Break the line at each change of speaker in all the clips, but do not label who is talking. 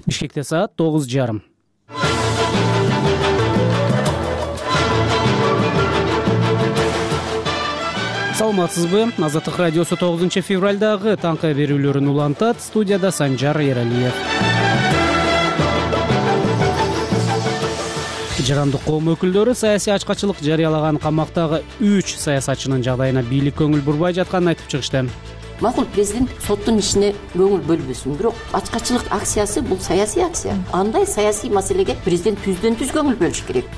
Бишкекте саат 9:30. Саламатсызбы? Азаттык радиосу 9-февралдагы таңкы берүүлөрүн улантат. Студияда Санжар Эралиев. Жарандык коом өкүлдөрү саясий ачкачылык жарыялаган камактагы 3 саясатчынын жагдайына бийлик көңүл бурбай жатканын айтып чыгышты.
Макул, президент соттун ишине көңүл бөлбөсүн, бирок ачкачылык акциясы бул саясий акция. Андай саясий маселеге президент түздөн түз көңүл бөлүш керек.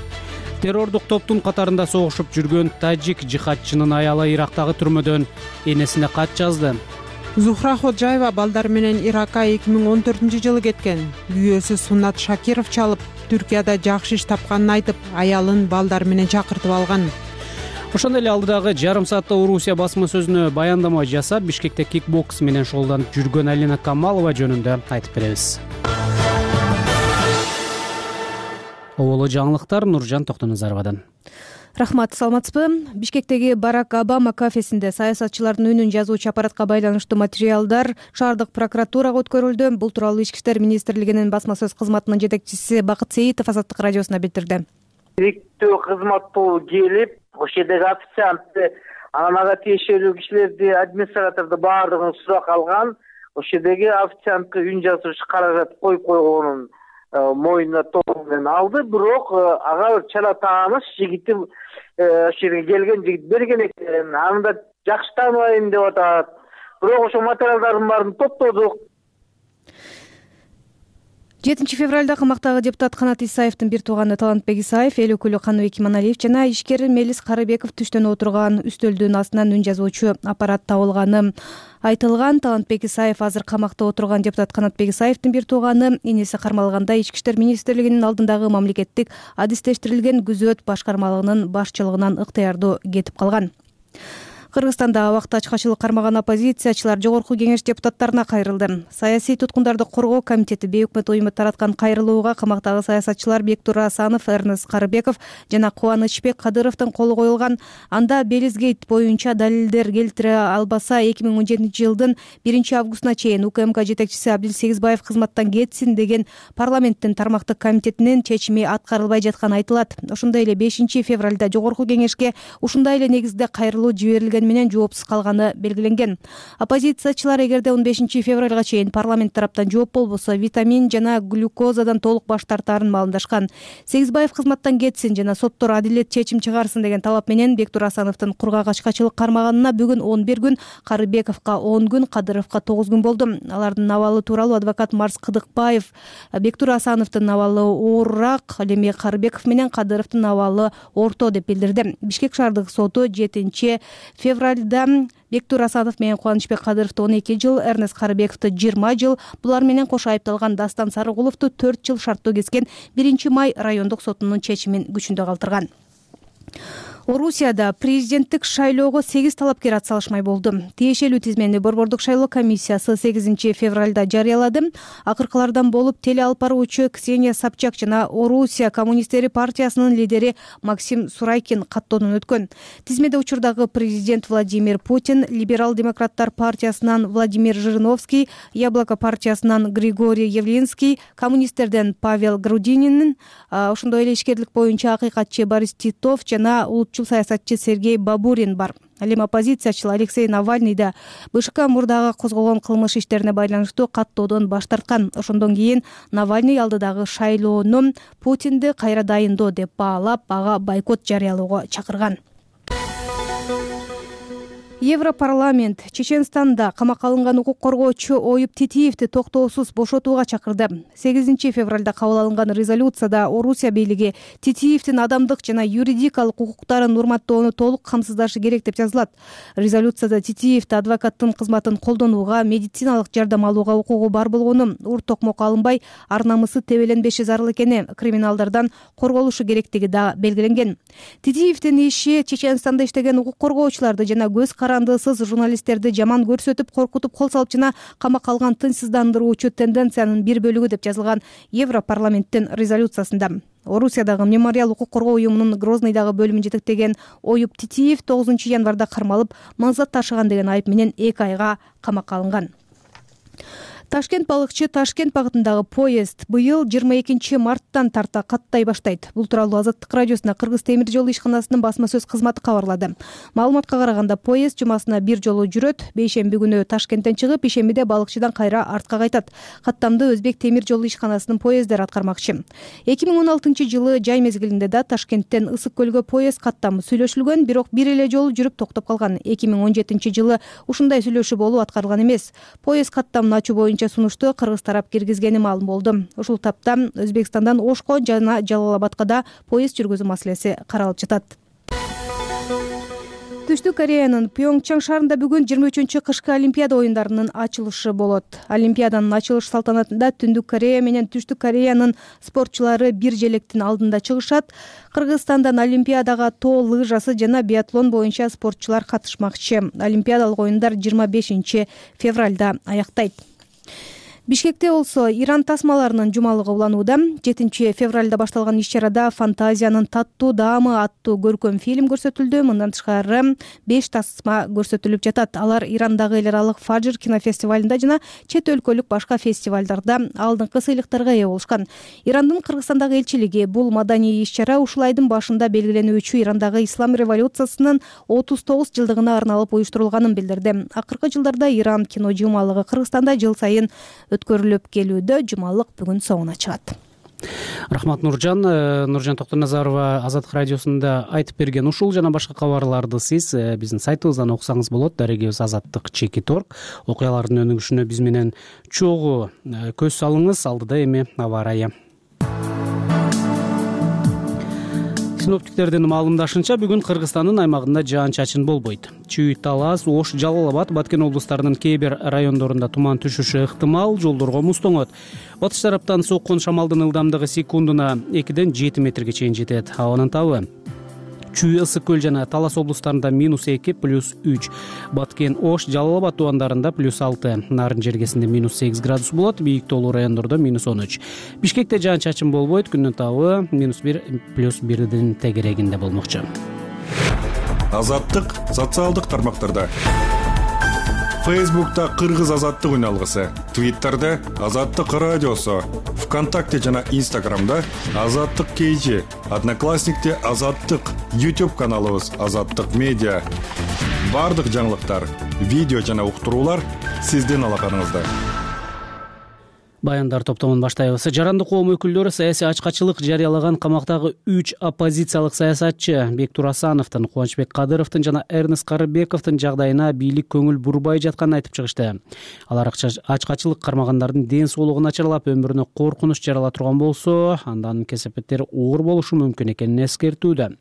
Террордук топтун катарында согушуп жүргөн тажик жихадчынын аялы Ирактагы түрмөдөн энесине кат жазды.
Зухра Ходжаева балдары менен Иракка 2014-жылы кеткен. Күйөөсү Сунат Шакиров чалып, Түркияда жакшы иш тапканын айтып, аялын балдары менен чакыртып алган.
Ошондой эле алдыдагы жарым саатта Орусия басма сөзүнө баяндама жасап, Бишкекте кикбокс менен шогулданып жүргөн Алина Камалова жөнүндө айтып беребиз. Оболо жаңылыктар Нуржан Токтоназаровадан.
Рахмат, саламатсызбы? Бишкектеги Барак Обама кафесинде саясатчылардын үнүн жазуучу аппаратка байланыштуу материалдар шаардык прокуратурага өткөрүлдү. Бул тууралуу Ички иштер министрлигинин басма сөз кызматынын жетекчиси Бакыт Сейитов Азаттык радиосуна билдирди.
Иликтөө кызматтуу келип, ошол жердеги официантты, анан ага тиешелүү кишилерди, администраторду баардыгын сурак алган. Ошол жердеги официантка үн жазууч каражат коюп койгонун моюнуна толугу менен алды, бирок ага чала тааныш жигити ошол жерге келген жигит берген экен. Аны да жакшы тааныбайм деп атат. Бирок ошол материалдардын баарын топтодук.
7-февралда камактагы депутат Канат Исаевдин бир тууганы Талантбек Исаев, эл өкүлү Каныбек Иманалиев жана ишкер Мелис Карыбеков түштөн отурган үстөлдүн астынан үн жазуучу аппарат табылганы айтылган. Талантбек Исаев азыр камакта отурган депутат Канатбек Исаевдин бир тууганы энеси кармалганда Ички иштер министрлигинин алдындагы мамлекеттик адистештирилген күзөт башкармалыгынын башчылыгынан ыктыярдуу кетип калган. Кыргызстанда убакыт ачкачылык кармаган оппозициячылар Жогорку кеңеш депутаттарына кайрылды. Саясий туткундарды коргоо комитети бейөкмөт уюму тараткан кайрылууга камактагы саясатчылар Бектур Асанов, Эрнест Карыбеков жана Кубанычбек Кадыровдун колу коюлган. Анда Белизгейт боюнча далилдер келтире албаса 2017-жылдын 1-августуна чейин УКМК жетекчиси Абдилсегизбаев кызматтан кетсин деген парламенттин тармактык комитетинин чечими аткарылбай жатканы айтылат. Ошондой эле 5-февралда Жогорку кеңешке ушундай эле негизде кайрылуу жиберилген менен жоопсуз калганы белгиленген. Оппозициячылар эгерде 15-февралга чейин парламент тараптан жооп болбосо витамин жана глюкозадан толук баш тартаарын маалымдашкан. Сегизбаев кызматтан кетсин жана соттор адилет чечим чыгарсын деген талап менен Бектур Асановдун кургак ачкачылык кармаганына бүгүн 11 күн, Карыбековго 10 күн, Кадыровго 9 күн болду. Алардын абалы тууралуу адвокат Марс Кыдыкбаев Бектур Асановдун абалы оорураак, ал эми Карыбеков менен Кадыровдун абалы орто деп билдирди. Бишкек шаардык соту 7-февралда Бектур Асанов менен Кубанычбек Кадыровду 12 жыл, Эрнест Карыбековду 20 жыл, булар менен кошо айыпталган Дастан Сарыгуловду 4 жыл шарттуу кескен 1-май райондук сотунун чечимин күчүндө калтырган. Орусияда президенттик шайлоого 8 талапкер атсалышмай болду. Тиешелүү тизмени Борбордук шайлоо комиссиясы 8-февралда жарыялады. Акыркылардан болуп теле алып баруучу Ксения Собчак жана Орусия коммунисттери партиясынын лидери Максим Сурайкин каттоодон өткөн. Тизмеде учурдагы президент Владимир Путин, либерал-демократтар партиясынан Владимир Жириновский, Яблоко партиясынан Григорий Явлинский, коммунисттерден Павел Грудинин, ошондой эле ишкерлик боюнча акыйкатчы Борис Титов жана саясатчы Сергей Бабурин бар. Ал эми оппозициячыл Алексей Навальный да БШК мурдагы козголгон кылмыш иштерине байланыштуу каттоодон баш тарткан. Ошондон кийин Навальный алдыдагы шайлоону Путинди кайра дайындоо деп баалап, ага бойкот жарыялоого чакырган. Европарламент Чеченстанда камакка алынган укук коргоочу Оюп Титиевди токтоосуз бошотууга чакырды. 8-февралда кабыл алынган резолюцияда Орусия бийлиги Титиевдин адамдык жана юридикалык укуктарын урматтоону толук камсыздашы керек деп жазылат. Резолюцияда Титиевди адвокаттын кызматын колдонууга, медициналык жардам алууга укугу бар болгону, ур токмок алынбай, ар намысы тебеленбеши зарыл экени, криминалдардан корголушу керектиги да белгиленген. Титиевдин иши Чеченстанда иштеген укук коргоочуларды жана көз карандысыз журналисттерди жаман көрсөтүп, коркутуп, кол салып жана камакка алган тынчсыздандыруучу тенденциянын бир бөлүгү деп жазылган Европарламенттин резолюциясында. Орусиядагы мемориал укук коргоо уюмунун Грозныйдагы бөлүмүн жетектеген Оюп Титиев 9-январда кармалып, мансат ташыган деген айып менен 2 айга камакка алынган. Ташкент балыкчы Ташкент багытындагы поезд быйыл 22 марттан тарта каттай баштайт. Бул тууралуу Азаттык радиосуна Кыргыз темир жол ишканасынын басма сөз кызматы кабарлады. Маалыматка караганда поезд жумасына бир жолу жүрөт. Бейшемби күнү Ташкенттен чыгып, ишембиде балыкчыдан кайра артка кайтат. Каттамды Өзбек темир жол ишканасынын поезддери аткармакчы. 2016-жылы жай мезгилинде да Ташкенттен Ысык көлгө поезд каттамы сүйлөшүлгөн, бирок бир эле жолу жүрүп токтоп калган. 2017-жылы ушундай сүйлөшүү болуп аткарылган эмес. Поезд каттамын ачуу боюнча сунушту кыргыз тарап киргизгени маалым болду. Ушул тапта Өзбекстандан Ошко жана Жалал-Абадка да поезд жүргүзүү маселеси каралып жатат. Түштүк Кореянын Пьонгчан шаарында бүгүн 23-чү кышкы Олимпиада оюндарынын ачылышы болот. Олимпиаданын ачылыш салтанатында Түндүк Корея менен Түштүк Кореянын спортчулары бир желектин алдында чыгышат. Кыргызстандан Олимпиадага тоо лыжасы жана биатлон боюнча спортчулар катышмакчы. Олимпиадалык оюндар 25 февралда аяктайт. Бишкекте болсо Иран тасмаларынын жумалыгы уланууда. 7 февралда башталган иш-чарада Фантазиянын Таттуу даамы аттуу көркөм фильм көрсөтүлдү. Мындан тышкары 5 тасма көрсөтүлүп жатат. Алар Ирандагы эл аралык Фажр кинофестивалында жана чет өлкөлүк башка фестивалдарда алдыңкы сыйлыктарга ээ болушкан. Ирандын Кыргызстандагы элчилиги бул маданий иш-чара ушул айдын башында белгиленүүчү Ирандагы ислам революциясынын 39 жылдыгына арналып уюштурулганын билдирди. Акыркы жылдарда Иран кино жумалыгы Кыргызстанда жыл сайын өткөрүлүп келүүдө. Жумалык бүгүн соңуна чыгат.
Рахмат Нуржан. Нуржан Токтоназарова Азаттык радиосунда айтып берген ушул жана башка кабарларды сиз биздин сайтыбыздан окусаңыз болот. Дарегибиз azattik.org. Окуялардын өнүгүшүнө биз менен чогуу көз салыңыз. Алдыда эми аба ырайы. Синоптиктердин маалымдашынча бүгүн Кыргызстандын аймагында жаан-чачын болбойт. Чүй, Талас, Ош, Жалал-Абад, Баткен облустарынын кээ бир райондорунда туман түшүшү ыктымал, жолдорго муз тоңот. Батыш тараптан соккон шамалдын ылдамдыгы секундуна 2-ден 7 метрге чейин жетет. Абанын табы Чүй, Ысык көл жана Талас облустарында -2, +3. Баткен, Ош, Жалал-Абад тубандарында +6. Нарын жергесинде -8 градус болот. Бийик тоолуу райондордо -13. Бишкекте жаан-чачын болбойт. Күндүн табы -1, +1 тегерегинде болмокчу.
Азаттык социалдык тармактарда. Фейсбукта Кыргыз азаттык үналгысы, Твиттерде Азаттык радиосу, ВКонтакте жана Инстаграмда Азаттык KG, Одноклассникте Азаттык, YouTube каналыбыз Азаттык медиа. Бардык жаңылыктар, видео жана уктуруулар сиздин алаканыңызда.
Баяндар топтомун баштайбыз. Жарандык коом өкүлдөрү саясий ачкачылык жарыялаган камактагы 3 оппозициялык саясатчы Бектур Асановдун, Кубанычбек Кадыровдун жана Эрнест Карыбековдун жагдайына бийлик көңүл бурбай жатканын айтып чыгышты. Алар ачкачылык кармагандардын ден соолугу начарлап, өмүрүнө коркунуч жарала турган болсо, андан кесепеттери оор болушу мүмкүн экенин эскертүүдө.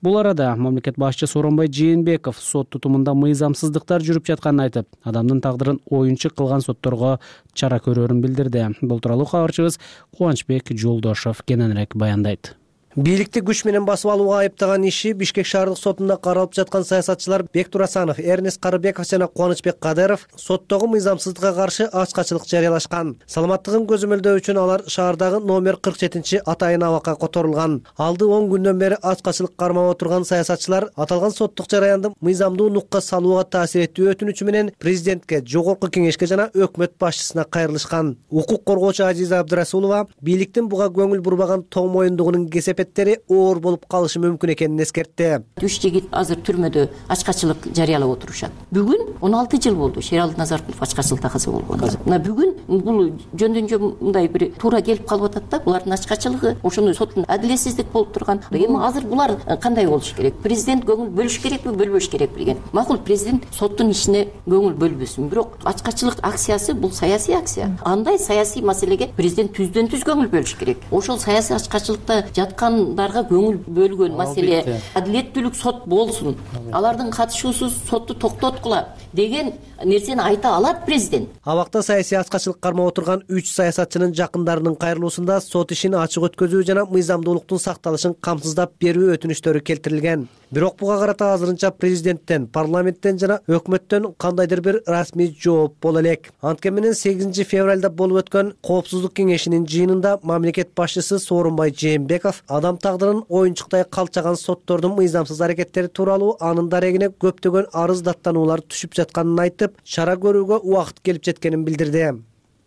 Бул арада мамлекет башчысы Сооронбай Жээнбеков сот тутумунда мыйзамсыздыктар жүрүп жатканын айтып, адамдын тагдырын оюнчук кылган сотторго чара көрөрүн билдирди. Бул тууралуу кабарчыбыз Кубанычбек Жолдошов кененирээк баяндайт.
Бийликти күч менен басып алууга айыптаган иши Бишкек шаардык сотунда каралып жаткан саясатчылар Бектур Асанов, Эрнест Карыбеков жана Кубанычбек Кадыров соттогу мыйзамсыздыкка каршы ачкачылык жарыялашкан. Саламаттыгын көзөмөлдөө үчүн алар шаардагы номер 47 атайын абакка которулган. Алды 10 күндөн бери ачкачылык кармап отурган саясатчылар аталган соттук жараянды мыйзамдуу нукка салууга таасир этүү өтүнүчү менен президентке, жогорку кеңешке жана өкмөт башчысына кайрылышкан. Укук коргоочу Азиза Абдырасулова бийликтин буга көңүл бурбаган тоң моюндугунун кесепеттери оор болуп калышы мүмкүн экенин эскертти.
3 жигит азыр түрмөдө ачкачылык жарыялап отурушат. Бүгүн 16 жыл болду Шералды Назаркулов ачкачылыкта каза болгону. Мына бүгүн бул жөндөн мындай бир туура келип калып атат да, булардын ачкачылыгы, ошону соттун адилетсиздик болуп турган. Эми азыр булар кандай болуш керек? Президент көңүл бөлүш керекпи, бөлбөш керек билген. Макул, президент соттун ишине көңүл бөлбөсүн, бирок ачкачылык акциясы бул саясий акция. Андай саясий маселеге президент түздөн түз көңүл бөлүш керек. Ошол саясий ачкачылыкта жаткандарга көңүл бөлгөн маселе адилеттүүлүк сот болсун. Алардын катышуусуз сотту токтоткула деген нерсени айта алат президент.
Абакта саясий ачкачылык кармап отурган 3 саясатчынын жакындарынын кайрылуусунда сот ишин ачык өткөзүү жана мыйзамдуулуктун сакталышын камсыздап берүү өтүнүчтөрү келтирилген. Бирок буга карата азырынча президенттен, парламенттен жана өкмөттөн кандайдыр бир расмий жооп боло элек. Анткени менен 8 февралда болуп өткөн Коопсуздук кеңешинин жыйынында мамлекет башчысы Сооронбай Жээнбеков адам тагдырын оюнчуктай калчаган соттордун мыйзамсыз аракеттери тууралуу анын дарегине көптөгөн арыз даттануулар түшүп жатканын айтып, чара көрүүгө убакыт келип жеткенин билдирди.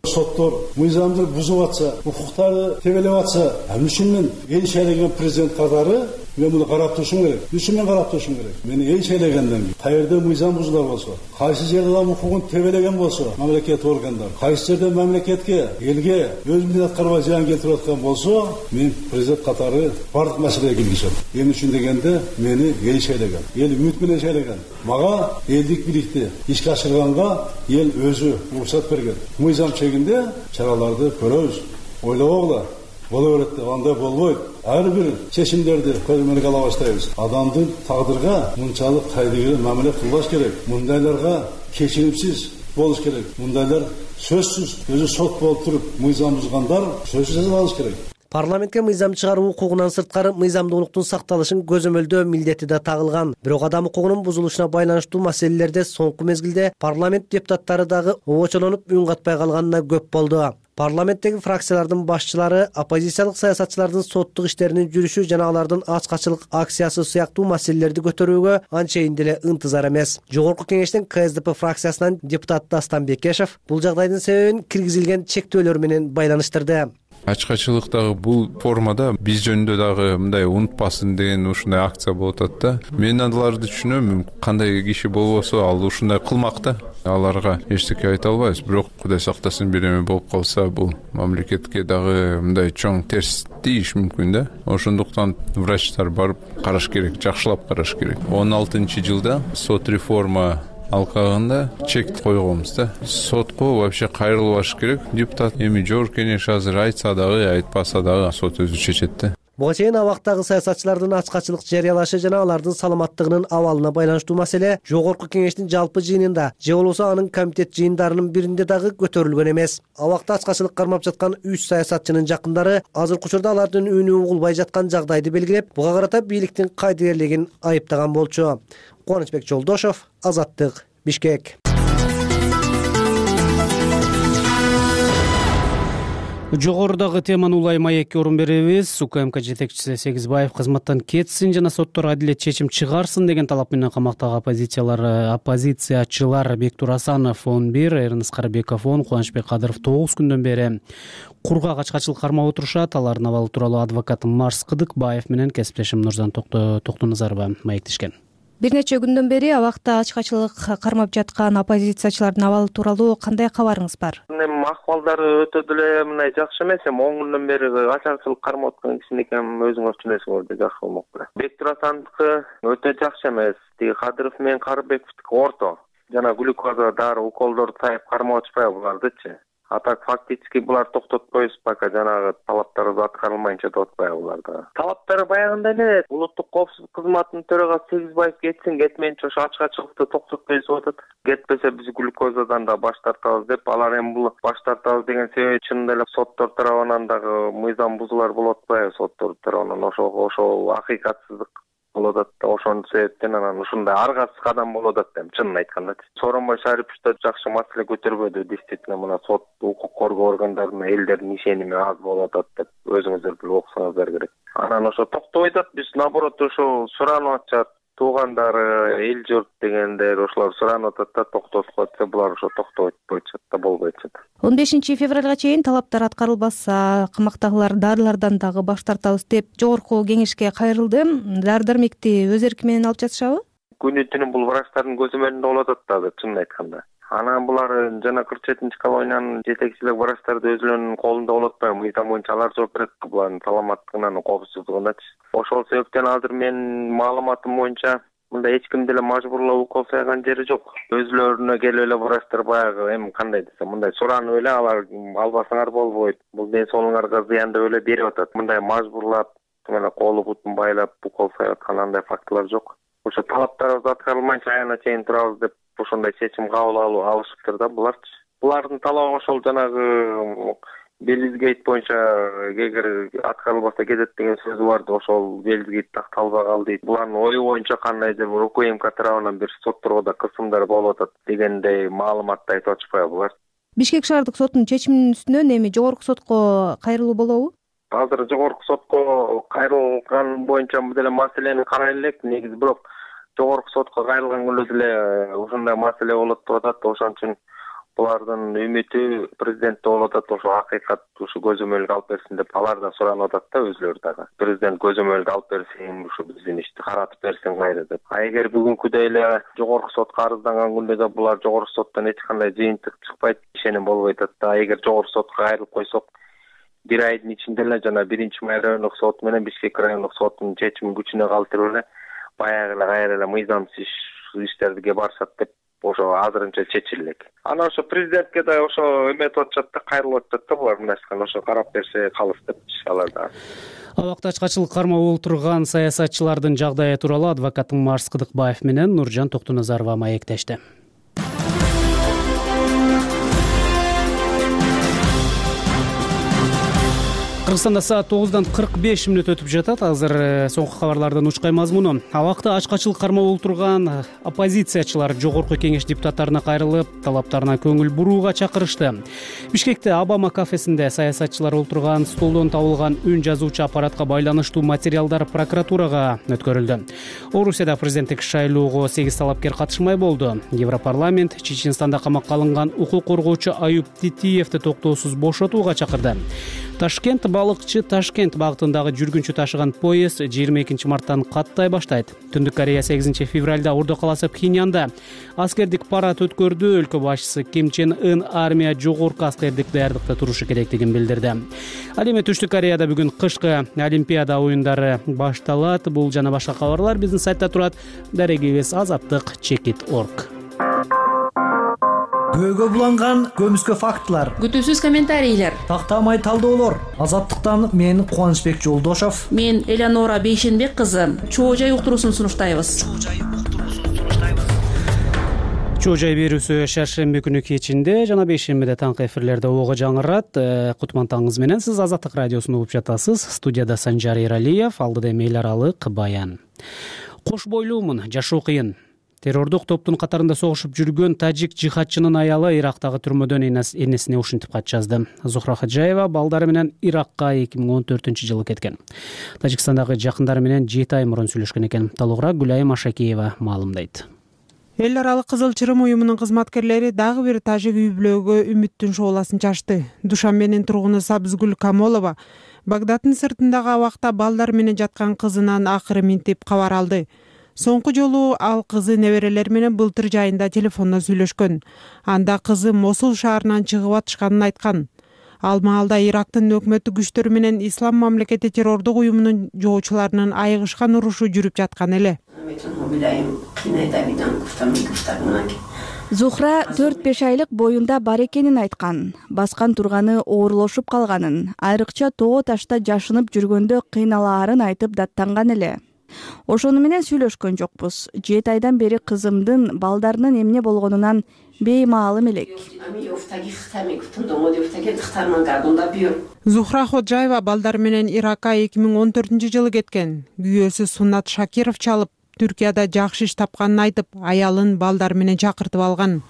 соттор мыйзамды бузуп атса, укуктарды тебелеп атса, ушун мен эл шайлеген президент катары мен муну карап турушум керек. Мен карап турушум керек. Мени эл шайлегенден кийин каерде мыйзам бузулар болсо, кайсы жерде адам укугун тебелеген болсо, мамлекет органдары, кайсы жерде мамлекетке, элге өз милдетин аткарбай зыян келтирип аткан болсо, мен президент катары бардык маселеге киргизем. Эмне үчүн дегенде, мени эл шайлеген. Эл үмүт менен шайлеген. Мага элдик бийликти ишке ашырганга эл өзү уруксат берген. Мыйзам чегинде чараларды көрөбүз. Ойлобогула. Боло берет, андай болбойт. Ар бир чечимдерди көрмөлүк ала баштайбыз. Адамдын тагдырга мынчалык кайдыгер мамиле кылбаш керек. Мындайларга кечиримсиз болуш керек. Мындайлар сөзсүз өзү сот болуп туруп мыйзам бузгандар сөзсүз жазаланыш алыш керек.
Парламентке мыйзам чыгаруу укугунан сырткары мыйзамдуулуктун сакталышын көзөмөлдөө милдети да тагылган. Бирок адам укугунун бузулушуна байланыштуу маселелерде соңку мезгилде парламент депутаттары дагы обочолонуп үн катпай калганына көп болду. Парламенттеги фракциялардын башчылары оппозициялык саясатчылардын соттук иштеринин жүрүшү жана алардын ачкачылык акциясы сыяктуу маселелерди көтөрүүгө анчейин деле ынтызар эмес. Жогорку кеңештин КСДП фракциясынан депутат Дастан Бекешев бул жагдайдын себебин киргизилген чектөөлөр менен байланыштырды.
Ачкачылыктагы бул формада биз жөнүндө дагы мындай унутпасын деген ушундай акция болуп атат да. Мен аларды түшүнөм, кандай киши болбосо ал ушундай кылмак да. Аларга эчтеке айта албайбыз, бирок Кудай сактасын бир эме болуп калса, бул мамлекетке дагы мындай чоң терс тийиш мүмкүн да. Ошондуктан врачтар барып караш керек, жакшылап караш керек. 16-жылда сот реформа алкагында чек койгонбуз да. Сотко вообще кайрылбаш керек. Депутат эми жогорку кеңеш азыр айтса дагы, айтпаса дагы сот өзү чечет да.
Буга чейин абактагы саясатчылардын ачкачылык жарыялашы жана алардын саламаттыгынын абалына байланыштуу маселе жогорку кеңештин жалпы жыйынында же болбосо анын комитет жыйындарынын биринде дагы көтөрүлгөн эмес. Абакта ачкачылык кармап жаткан 3 саясатчынын жакындары азыркы учурда алардын үнү угулбай жаткан жагдайды белгилеп, буга карата бийликтин кайдыгерлигин айыптаган болчу. Кубанычбек Жолдошов, Азаттык, Бишкек.
Жогорудагы теманы улай маекке орун беребиз. УКМК жетекчиси Сегизбаев кызматтан кетсин жана соттор адилет чечим чыгарсын деген талап менен камактагы оппозициячылар Бектур Асанов 11, Эрнис Карыбеков 10, Кубанычбек Кадыров 9 күндөн бери кургак ачкачылык кармап отурушат. Алардын абалы тууралуу адвокат Марс Кыдыкбаев менен кесиптешим Нурзан Токтоназарова маектешкен.
Бир нече күндөн бери абакта ачкачылык кармап жаткан оппозициячылардын абалы тууралуу кандай кабарыңыз бар?
Акыбалдары өтө деле мындай жакшы эмес. 10 күндөн бери ачкачылык кармап аткан кишинеки өзүңөр түшүнөсүңөр, жакшы болмок беле. Бектур Асановдуку өтө жакшы эмес. Тиги Кадыров менен Карыбековдуку орто. Жана глюкоза дары уколдорду сайып кармап атышпайбы булардычы? А так фактически булар токтотпойбуз, пока жанагы талаптарыбыз аткарылмайынча деп атпайбы буларда. Талаптары баягындай эле. Улуттук коопсуздук кызматынын төрагасы Сегизбаев кетсин, кетмейинче ошо ачкачылыкты токтотпойбуз деп атат. Кетпесе биз глюкозадан да баш тартабыз деп, алар эми бул баш тартабыз деген себеби чынында эле соттор тарабынан дагы мыйзам бузуулар болуп атпайбы? Соттор тарабынан ошо акыйкатсыздык болуп атат да, ошонун себептен анан ушундай аргасыз кадам болуп атат дейм, чынын айтканда. Сооронбай Шарипович да жакшы маселе көтөрбөдү. Действительно, мына сот, укук коргоо органдарына элдердин ишеними аз болуп атат деп өзүңүздөр билип окусаңыздар керек. Анан ошо токтобой атат, биз наоборот ошо суранып атышат. Туугандары, эл журт дегендер ошолор суранып атат да, токтотуп атса булар ошо токтобой атышат да, болбой атышат. 15
февралга чейин талаптар аткарылбаса, камактагылар дарылардан дагы баш тартабыз деп жогорку кеңешке кайрылды. Дары-дармекти өз эрки менен алып жатышабы?
Күнү түнү бул врачтардын көзөмөлүндө болуп атат да, чынын айтканда. Анан булар жана 47 колониянын жетекчилик врачтарды өзүлөрүнүн колунда болуп атпайбы? Мыйзам боюнча алар жооп берет булардын саламаттыгынан, коопсуздугуначы. Ошол себептен азыр менин маалыматым боюнча мындай эч ким деле мажбурлап укол сайган жери жок. Өзүлөрүнө келип эле врачтар баягы эми кандай десем, мындай суранып эле алар албасаңар болбойт, бул ден соолугуңарга зыян деп эле берип атат. Мындай мажбурлап, колу бутун байлап укол сайып аткан андай фактылар жок. Ошо талаптарыбыз аткарылмайынча аягына чейин турабыз деп ошондой чечим кабыл алышыптыр да буларчы. Булардын талабы ошол жанагы Белизгейт боюнча эгер аткарылбаса кетет деген сөзү барды. Ошол Белизгейт такталбай калды. Булардын ою боюнча кандайдыр бир УКМК тарабынан бир сотторго да кысымдар болуп атат дегендей маалыматты айтып атышпайбы булар?
Бишкек шаардык соттун чечиминин үстүнөн эми жогорку сотко кайрылуу болобу?
Азыр жогорку сотко кайрылган боюнча деле маселени карай элек. Негизи бирок жогорку сотко кайрылган күндө деле ушундай маселе болот деп атат. Ошон үчүн Булардын үмүтү президентте болуп атат, ошо акыйкат ушу көзөмөлгө алып берсин деп алардан суранып атат да өзүлөрү дагы. Президент көзөмөлгө алып берсин, ушу биздин ишти каратып берсин кайра деп. Эгер бүгүнкүдөй эле жогорку сотко арызданган күндө да булар жогорку соттон эч кандай жыйынтык чыкпайт, ишеним болбой атат да. Эгер жогорку сотко кайрылып койсок, бир айдын ичинде эле жана 1-Май райондук сот менен Бишкек райондук соттун чечими күчүнө калтырып эле баягы эле кайра эле мыйзамсыз иштерге барышат деп ошо азырынча чечилек. Анан ошо президентке да ошо эметип атышат да, кайрылып атышат да булар мынашкан, ошо карап берсе калыс деп алар да.
Абакта ачкачылык кармап отурган саясатчылардын жагдайы тууралуу адвокат Марс Кыдыкбаев менен Нуржан Токтоназарова маектешти. Кыргызстанда саат 9:45 өтүп жатат. Азыр соңку кабарлардын учкай мазмуну. Абакта ачкачылык кармап отурган оппозициячылар Жогорку Кеңеш депутаттарына кайрылып, талаптарына көңүл бурууга чакырышты. Бишкекте Обама кафесинде саясатчылар отурган столдон табылган үн жазуучу аппаратка байланыштуу материалдар прокуратурага өткөрүлдү. Орусияда президенттик шайлоого 8 талапкер катышмай болду. Европарламент Чеченстанда камакка алынган укук коргоочу Аюп Титиевди токтоосуз бошотууга чакырды. Ташкент балыкчы Ташкент багытындагы жүргүнчү ташыган поезд 22 марттан каттай баштайт. Түндүк Корея 8 февралда Ордо каласы Пхеньянда аскердик парад өткөрдү. Өлкө башчысы Ким Чен Ын армия жогорку аскердик даярдыкта турушу керектигин билдирди. Ал эми Түштүк Кореяда бүгүн кышкы Олимпиада оюндары башталат. Бул жана башка кабарлар биздин сайтта турат. Дарегибиз azattik.org.
Көөгө буланган көмүскө фактылар,
күтүүсүз комментарийлер,
тактамай талдоолор. Азаттыктан мен Кубанычбек Жолдошов,
мен Элеонора Бейшенбек кызы Чоо жай уктуруусун сунуштайбыз.
Чоо жай берүүсү шаршемби күнү кечинде жана бейшембиде таңкы эфирлерде ого жаңырат. Кутман таңыңыз менен сиз Азаттык радиосун угуп жатасыз. Студияда Санжар Эралиев, алдыда эми эл аралык баян. Кош бойлуумун, жашоо кыйын. Террордук топтун катарында согушуп жүргөн тажик жихадчынын аялы Ирактагы түрмөдөн энесине ушинтип кат жазды. Зухра Хаджаева балдары менен Иракка 2014-жылы кеткен. Тажикстандагы жакындары менен 7 ай мурун сүйлөшкөн экен. Толугураак Гүлайым Ашакиева маалымдайт.
Эл аралык Кызыл Чырым уюмунун кызматкерлери дагы бир тажик үй-бүлөгө үмүттүн шооласын чачты. Душанбенин тургуну Сабызгүл Камолова Багдаддын сыртындагы абакта балдар менен жаткан кызынан акыры минтип кабар алды. Соңку жолу ал кызы неберелер менен былтыр жайында телефондон сүйлөшкөн. Анда кызы Мосул шаарынан чыгып атышканын айткан. Ал маалда Ирактын өкмөттүк күчтөрү менен Ислам мамлекети террордук уюмунун жоочуларынын айыгышкан урушу жүрүп жаткан эле.
Зухра 4-5 айлык боюнда бар экенин айткан. Баскан турганы оорулошуп калганын, айрыкча тоо ташта жашынып жүргөндө кыйналаарын айтып даттанган эле. Ошону менен сүйлөшкөн жокпуз. 7 айдан бери кызымдын балдарынын эмне болгонунан беймаалым элек.
Зухра Ходжаева балдар менен Иракка 2014-жылы кеткен. Күйөөсү Сунат Шакиров чалып, Түркияда жакшы иш тапканын айтып, аялын балдар менен чакыртып алган.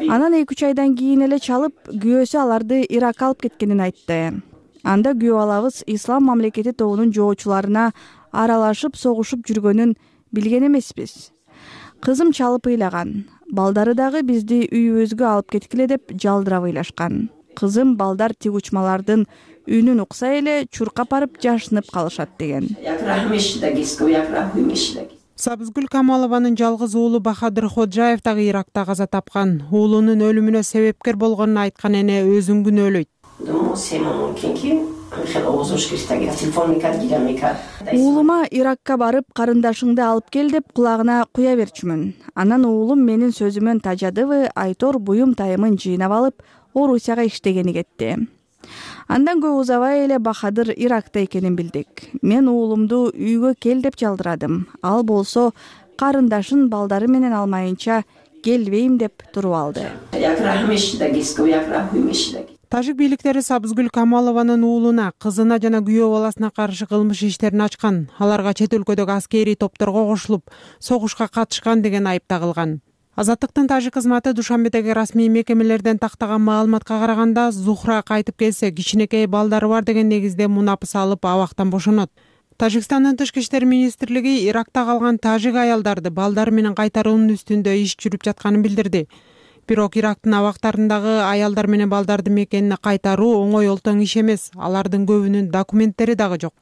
Анан 2-3 айдан кийин эле чалып, күйөөсү аларды Иракка алып кеткенин айтты. Анда күйөө алабыз Ислам мамлекети тобунун жоочуларына аралашып согушуп жүргөнүн билген эмеспиз. Кызым чалып ыйлаган. Балдары дагы бизди үйүбүзгө алып кеткиле деп жалдырап ыйлашкан. Кызым балдар тиг учмалардын үнүн укса эле чуркап барып жашынып калышат деген.
Сабызгүл Камалованын жалгыз уулу Бахадыр Ходжаев дагы Иракта каза тапкан. Уулунун өлүмүнө себепкер болгонун айткан эне өзүн күнөөлөйт.
Уулума Иракка барып карындашыңды алып кел деп кулагына куя берчүмүн. Анан уулум менин сөзүмөн тажадыбы, Айтор буюм тайымын жыйнап алып Орусияга иштегени кетти. Андан көп узабай эле Бахадыр Иракта экенин билдик. Мен уулумду үйгө кел деп жалдырадым. Ал болсо карындашын балдары менен алмайынча келбейм деп туруп алды.
Тажик бийликтери Сабызгүл Камалованын уулуна, кызына жана күйөө баласына каршы кылмыш иштерин ачкан. Аларга чет өлкөдөгү аскерий топторго кошулуп, согушка катышкан деген айып тагылган. Азаттыктын тажик кызматы Душанбедеги расмий мекемелерден тактаган маалыматка караганда, Зухра кайтып келсе, кичинекей балдары бар деген негизде мунапы салып абактан бошонот. Тажикстандын тышкы иштер министрлиги Иракта калган тажик аялдарды балдары менен кайтаруунун үстүндө иш жүрүп жатканын билдирди. Бирок Ирактын абактарындагы аялдар менен балдарды мекенине кайтаруу оңой олтоң иш эмес. Алардын көбүнүн документтери дагы жок.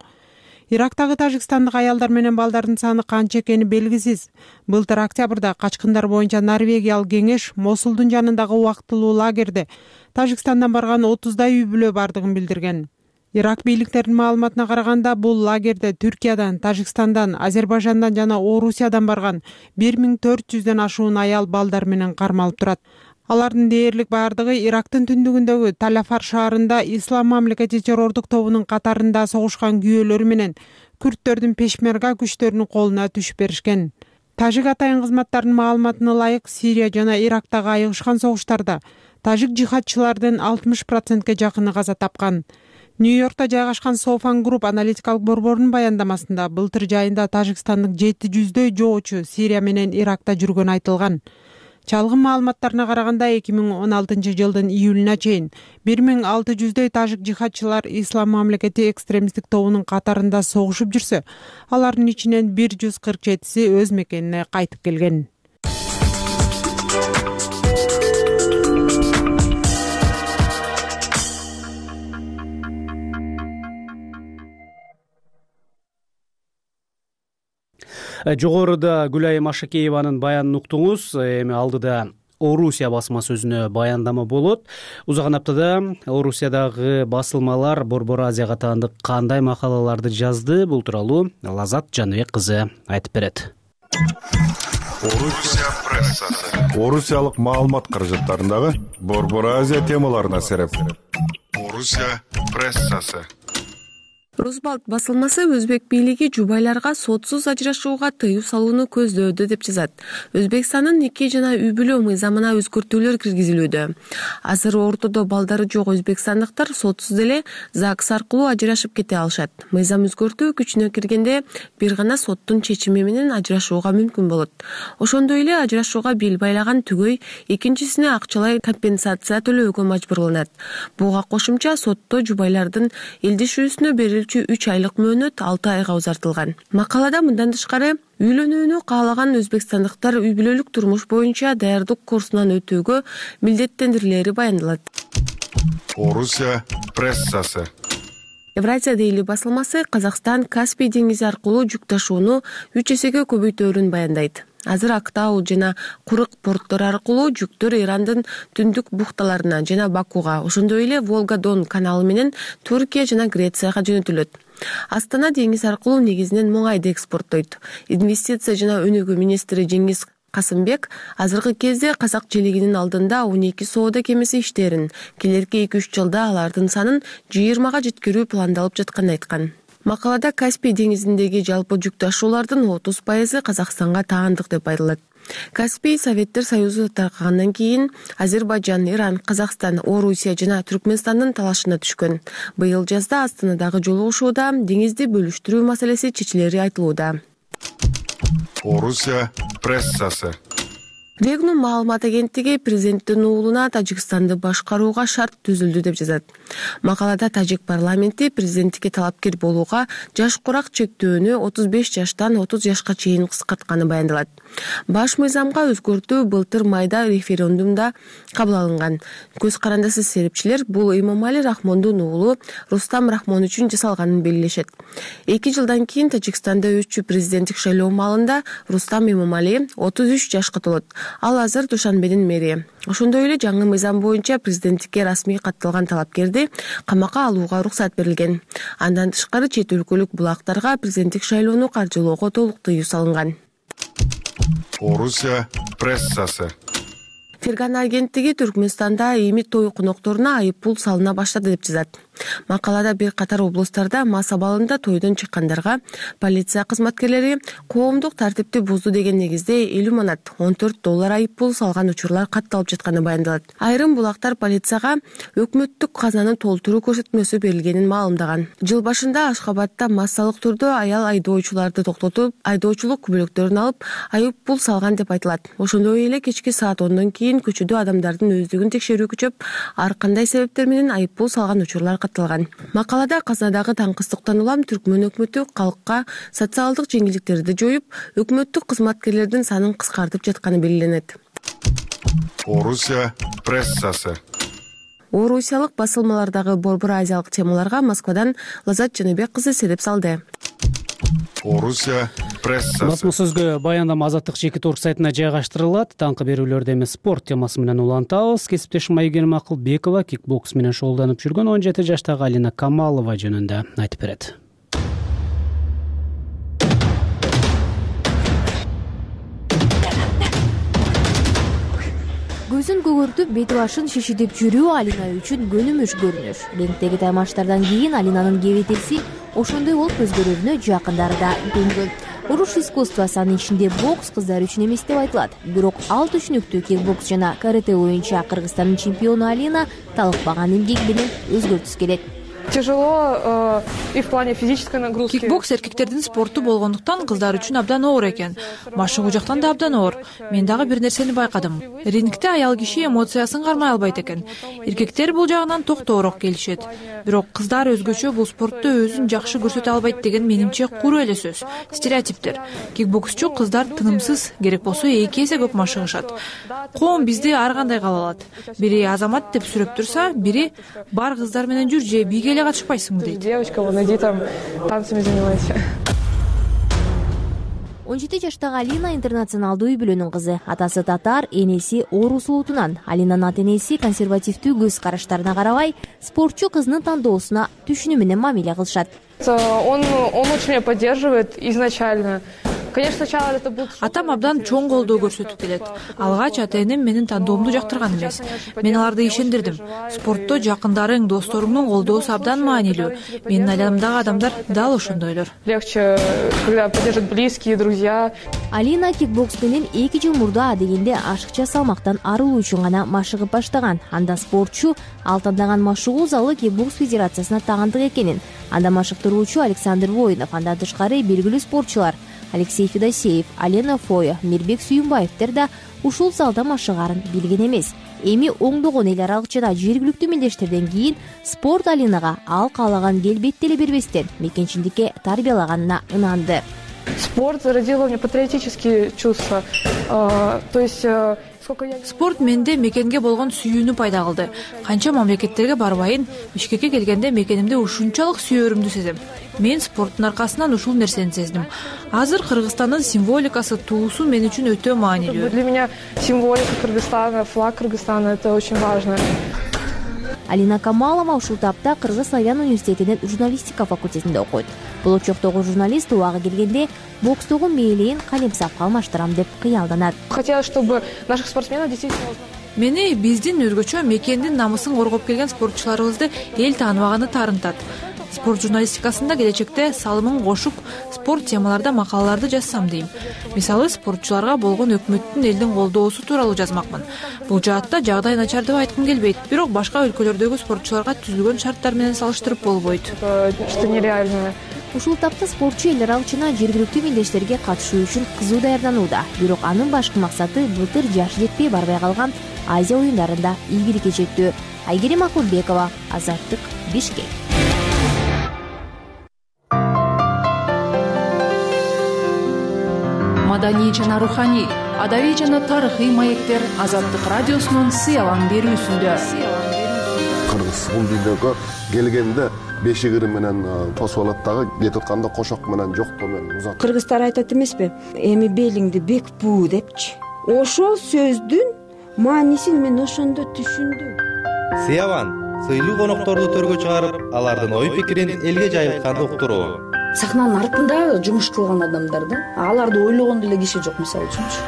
Ирактагы тажикстандык аялдар менен балдардын саны канча экени белгисиз. Былтыр октябрда качкындар боюнча Норвегиялык кеңеш Мосулдун жанындагы убактылуу лагерде Тажикстандан барган 30дай үй бүлө бардыгын билдирген. Ирак бийликтеринин маалыматына караганда, бул лагерде Түркиядан, Тажикстандан, Азербайжандан жана Орусиядан барган 1400дөн ашуун аял балдар менен кармалып турат. Алардын дээрлик баардыгы Ирактын түндүгүндөгү Талафар шаарында Ислам мамлекети террордук тобунун катарында согушкан күйөөлөрү менен күрттөрдүн пешмерга күчтөрүнүн колуна түшүп беришкен. Тажик атайын кызматтарынын маалыматына ылайык, Сирия жана Ирактагы айыгышкан согуштарда тажик жихадчылардын 60%ге жакыны каза тапкан. Нью-Йоркто жайгашкан Софан Групп аналитикалык борборунун баяндамасында былтыр жайында тажикстандык 700дөй жоочу Сирия менен Иракта жүргөнү айтылган. Чалгын маалыматтарына караганда 2016-жылдын июлуна чейин 1600дөй тажик жихадчылар Ислам мамлекети экстремисттик тобунун катарында согушуп жүрсө, алардын ичинен 147си өз мекенине кайтып келген.
Жогоруда Гүлайым Ашакееванын баянын уктуңуз. Эми алдыда Орусия басма сөзүнө баяндама болот. Узган аптада Орусиядагы басылмалар Борбор Азияга таандык кандай макалаларды жазды? Бул тууралуу Лазат Жаныбек кызы айтып берет.
Орусия прессасы. Орусиялык маалымат каражаттарындагы Борбор Азия темаларына сереп. Орусия прессасы.
Русбалт басылмасы өзбек бийлиги жубайларга сотсуз ажырашууга тыюу салууну көздөөдө деп жазат. Өзбекстандын нике жана үй бүлө мыйзамына өзгөртүүлөр киргизилүүдө. Азыр ортодо балдары жок өзбекстандыктар сотсуз эле ЗАГС аркылуу ажырашып кете алышат. Мыйзам өзгөртүү күчүнө киргенде бир гана соттун чечими менен ажырашууга мүмкүн болот. Ошондой эле ажырашууга бел байлаган түгөй экинчисине акчалай компенсация төлөөгө мажбурланат. Буга кошумча сотто жубайлардын элдишүүсүнө берилүүчү 3 айлык мөөнөт 6 айга узартылган. Макалада мындан тышкары үйлөнүүнү каалаган өзбекстандыктар үй бүлөлүк турмуш боюнча даярдык курсунан өтүүгө милдеттендирилери баяндалат.
Орусия прессасы.
Евразия дейли басылмасы Казакстан Каспий деңизи аркылуу жүк ташууну 3 эсеге көбөйтөөрүн баяндайт. Азыр Актау жана Курык порттор аркылуу жүктөр Ирандын түндүк бухталарына жана Бакуга, ошондой эле Волга-Дон каналы менен Түркия жана Грецияга жөнөтүлөт. Астана деңиз аркылуу негизинен муңайды экспорттойт. Инвестиция жана өнүгүү министри Жеңиз Касымбек азыркы кезде Казак желегинин алдында 12 соода кемеси иштерин, келерки 2-3 жылда алардын санын 20га жеткирүү пландалып жатканын айткан. Макалада Каспий деңизиндеги жалпы жүк ташуулардын 30% Казакстанга таандык деп айтылат. Каспий Советтер Союзу таркагандан кийин Азербайжан, Иран, Казакстан, Орусия жана Түркмөнстандын талашына түшкөн. Быйыл жазда Астанадагы жолугушууда деңизди бөлүштүрүү маселеси чечилери айтылууда.
Орусия прессасы.
Регнум маалымат агенттиги президенттин уулуна Тажикстанды башкарууга шарт түзүлдү деп жазат. Макалада тажик парламенти президенттикке талапкер болууга жаш курак чектөөнү 35 жаштан 30 жашка чейин кыскартканы баяндалат. Баш мыйзамга өзгөртүү былтыр майда референдумда кабыл алынган. Көз карандысыз серепчилер бул Имомали Рахмондун уулу Рустам Рахмон үчүн жасалганын белгилешет. 2 жылдан кийин Тажикстанда өтчү президенттик шайлоо маалында Рустам Имомали 33 жашка толот. Ал азыр Душанбенин мэри. Ошондой эле жаңы мыйзам боюнча президенттикке расмий катталган талапкерди камакка алууга уруксат берилген. Андан тышкары чет өлкөлүк булактарга президенттик шайлоону каржылоого толук тыюу салынган.
Орусия прессасы.
Ферган агенттиги Түркмөнстанда эми той конокторуна айып пул салына баштады деп жазат. Макалада бир катар облустарда мас абалында тойдон чыккандарга полиция кызматкерлери коомдук тартипти бузду деген негизде 50 манат $14 айып пул салган учурлар катталып жатканы баяндалат. Айрым булактар полицияга өкмөттүк казананы толтуруу көрсөтмөсү берилгенин маалымдаган. Жыл башында Ашхабадда массалык түрдө аял айдоочуларды токтотуп, айдоочулук күбөлөктөрүн алып, айып пул салган деп айтылат. Ошондой эле кечки саат 10дон кийин көчөдө адамдардын өздүгүн текшерүү күчөп, ар кандай себептер менен айып пул салган учурлар катталган. Макалада казынадагы таңкыстыктан улам Түркмөн өкмөтү калкка социалдык жеңилдиктерди жоюп, өкмөттүк кызматкерлердин санын кыскартып жатканы белгиленет.
Орусия прессасы.
Орусиялык басылмалардагы борбор азиялык темаларга Москвадан Лазат Жаныбек кызы сереп салды.
Орусия прессасы.
Басма сөзгө баяндама Азаттык Чекит орг сайтына жайгаштырылат. Таңкы берүүлөрдө эми спорт темасы менен улантабыз. Кесиптешим Айгерим Акылбекова кикбокс менен шогулданып жүргөн 17 жаштагы Алина Камалова жөнүндө айтып берет.
Көзүн көгөртүп, бети башын шишидип жүрүү Алина үчүн көнүмүш көрүнүш. Рингдеги таймаштардан кийин Алинанын кебетеси ошондой болуп өзгөрүүнө жакындары да көнгөн. Уруш искусствосы, анын ичинде бокс кыздар үчүн эмес деп айтылат. Бирок ал түшүнүктүү кикбокс жана карате боюнча Кыргызстандын чемпиону Алина талыкпаган эмгеги менен өзгөртүсү келет.
Тяжело и в плане физической нагрузки. Кикбокс эркектердин спорту болгондуктан кыздар үчүн абдан оор экен. Машыгуу жактан да абдан оор. Мен дагы бир нерсени байкадым. Рингде аял киши эмоциясын кармай албайт экен. Эркектер бул жагынан токтоорок келишет. Бирок кыздар өзгөчө бул спортто өзүн жакшы көрсөтө албайт деген менимче куру эле сөз. Стереотиптер. Кикбоксчу кыздар тынымсыз, керек болсо 2 эсе көп машыгышат. Коом бизди ар кандай кабыл алат. Бири Азамат деп сүрөп турса, бири бар кыздар менен жүр же биге эле катышпайсыңбы дейт. Девочка, вон иди там танцами занимайся.
17 жаштагы Алина интернационалдуу үй бүлөнүн кызы. Атасы татар, энеси орус улутунан. Алинанын ата-энеси консервативдүү көз караштарына карабай, спортчу кызынын тандоосуна түшүнүү менен мамиле кылышат.
Он очень меня поддерживает изначально. Конечно, сначала это был... Атам абдан чоң колдоо көрсөтүп келет. Алгач ата-энем менин тандоомду жактырган эмес. Мен аларды ишендирдим. Спортто жакындарың, досторуңдун колдоосу абдан маанилүү. Менин айланамдагы адамдар дал ошондойлор. Легче, когда поддержат близкие, друзья.
Алина кикбокс менен 2 жыл мурда адегенде ашыкча салмактан арылуу үчүн гана машыгып баштаган. Анда спортчу ал тандаган машыгуу залы кикбокс федерациясына тагандык экенин, анда машыктыруучу Александр Воинов, андан тышкары белгилүү спортчулар Алексей Федосеев, Алена Фоя, Мирбек Сүйүнбаевдер да ушул залда машыгарын билген эмес. Эми оңдогон эл аралык жана жергиликтүү мелдештерден кийин спорт Алинага ал каалаган келбетти эле бербестен мекенчиликке тарбиялаганына ынанды.
Спорт зародило мне патриотические чувства. То есть спорт менде мекенге болгон сүйүүнү пайда кылды. Канча мамлекеттерге барбайын, Бишкекке келгенде мекенимди ушунчалык сүйөрүмдү сезем. Мен спорттун аркасынан ушул нерсени сездим. Азыр Кыргызстандын символикасы, туусу мен үчүн өтө маанилүү. Для меня символика Кыргызстана, флаг Кыргызстана — это очень важно.
Алина Камалова ушул тапта Кыргыз-Славян университетинин журналистика факультетинде окуйт. Болочоктогу журналист убагы келгенде бокстогу мээлейин калемсапка алмаштырам деп кыялданат.
Хотелось, чтобы наших спортсменов действительно...
Мени биздин өзгөчө мекендин намысын коргоп келген спортчуларыбызды эл тааныбаганы таарынтат. Спорт журналистикасында келечекте салымын кошуп, спорт темаларда макалаларды жазсам дейм. Мисалы, спортчуларга болгон өкмөттүн элдин колдоосу тууралуу жазмакмын. Бул жаатта жагдай начар деп айткым келбейт. Бирок башка өлкөлөрдөгү спортчуларга түзүлгөн шарттар менен салыштырып болбойт.
Что нереально.
Ушул тапта спортчу эл аралык жана жергиликтүү мелдештерге катышуу үчүн кызуу даярданууда. Бирок анын башкы максаты былтыр жашы жетпей барбай калган Азия оюндарында ийгиликке жетүү. Айгерим Акылбекова, Азаттык, Бишкек.
Маданий жана руханий, адабий жана тарыхый маектер Азаттык радиосунун сыялан берүүсүндө.
Кыргыз бул дүйнөгө келгенде бешигири менен тосуп алат дагы, кетип атканда кошок менен жоктоо менен узат.
Кыргыздар айтат эмеспи? Эми белиңди бек буу депчи. Ошол сөздүн маанисин мен ошондо түшүндүм.
Сыяван сыйлуу конокторду төргө чыгарып, алардын ой пикирин элге жайылтканды уктуруу.
Сахнанын артында жумуш кылган адамдар да, аларды ойлогон деле киши жок, мисалы үчүнчү.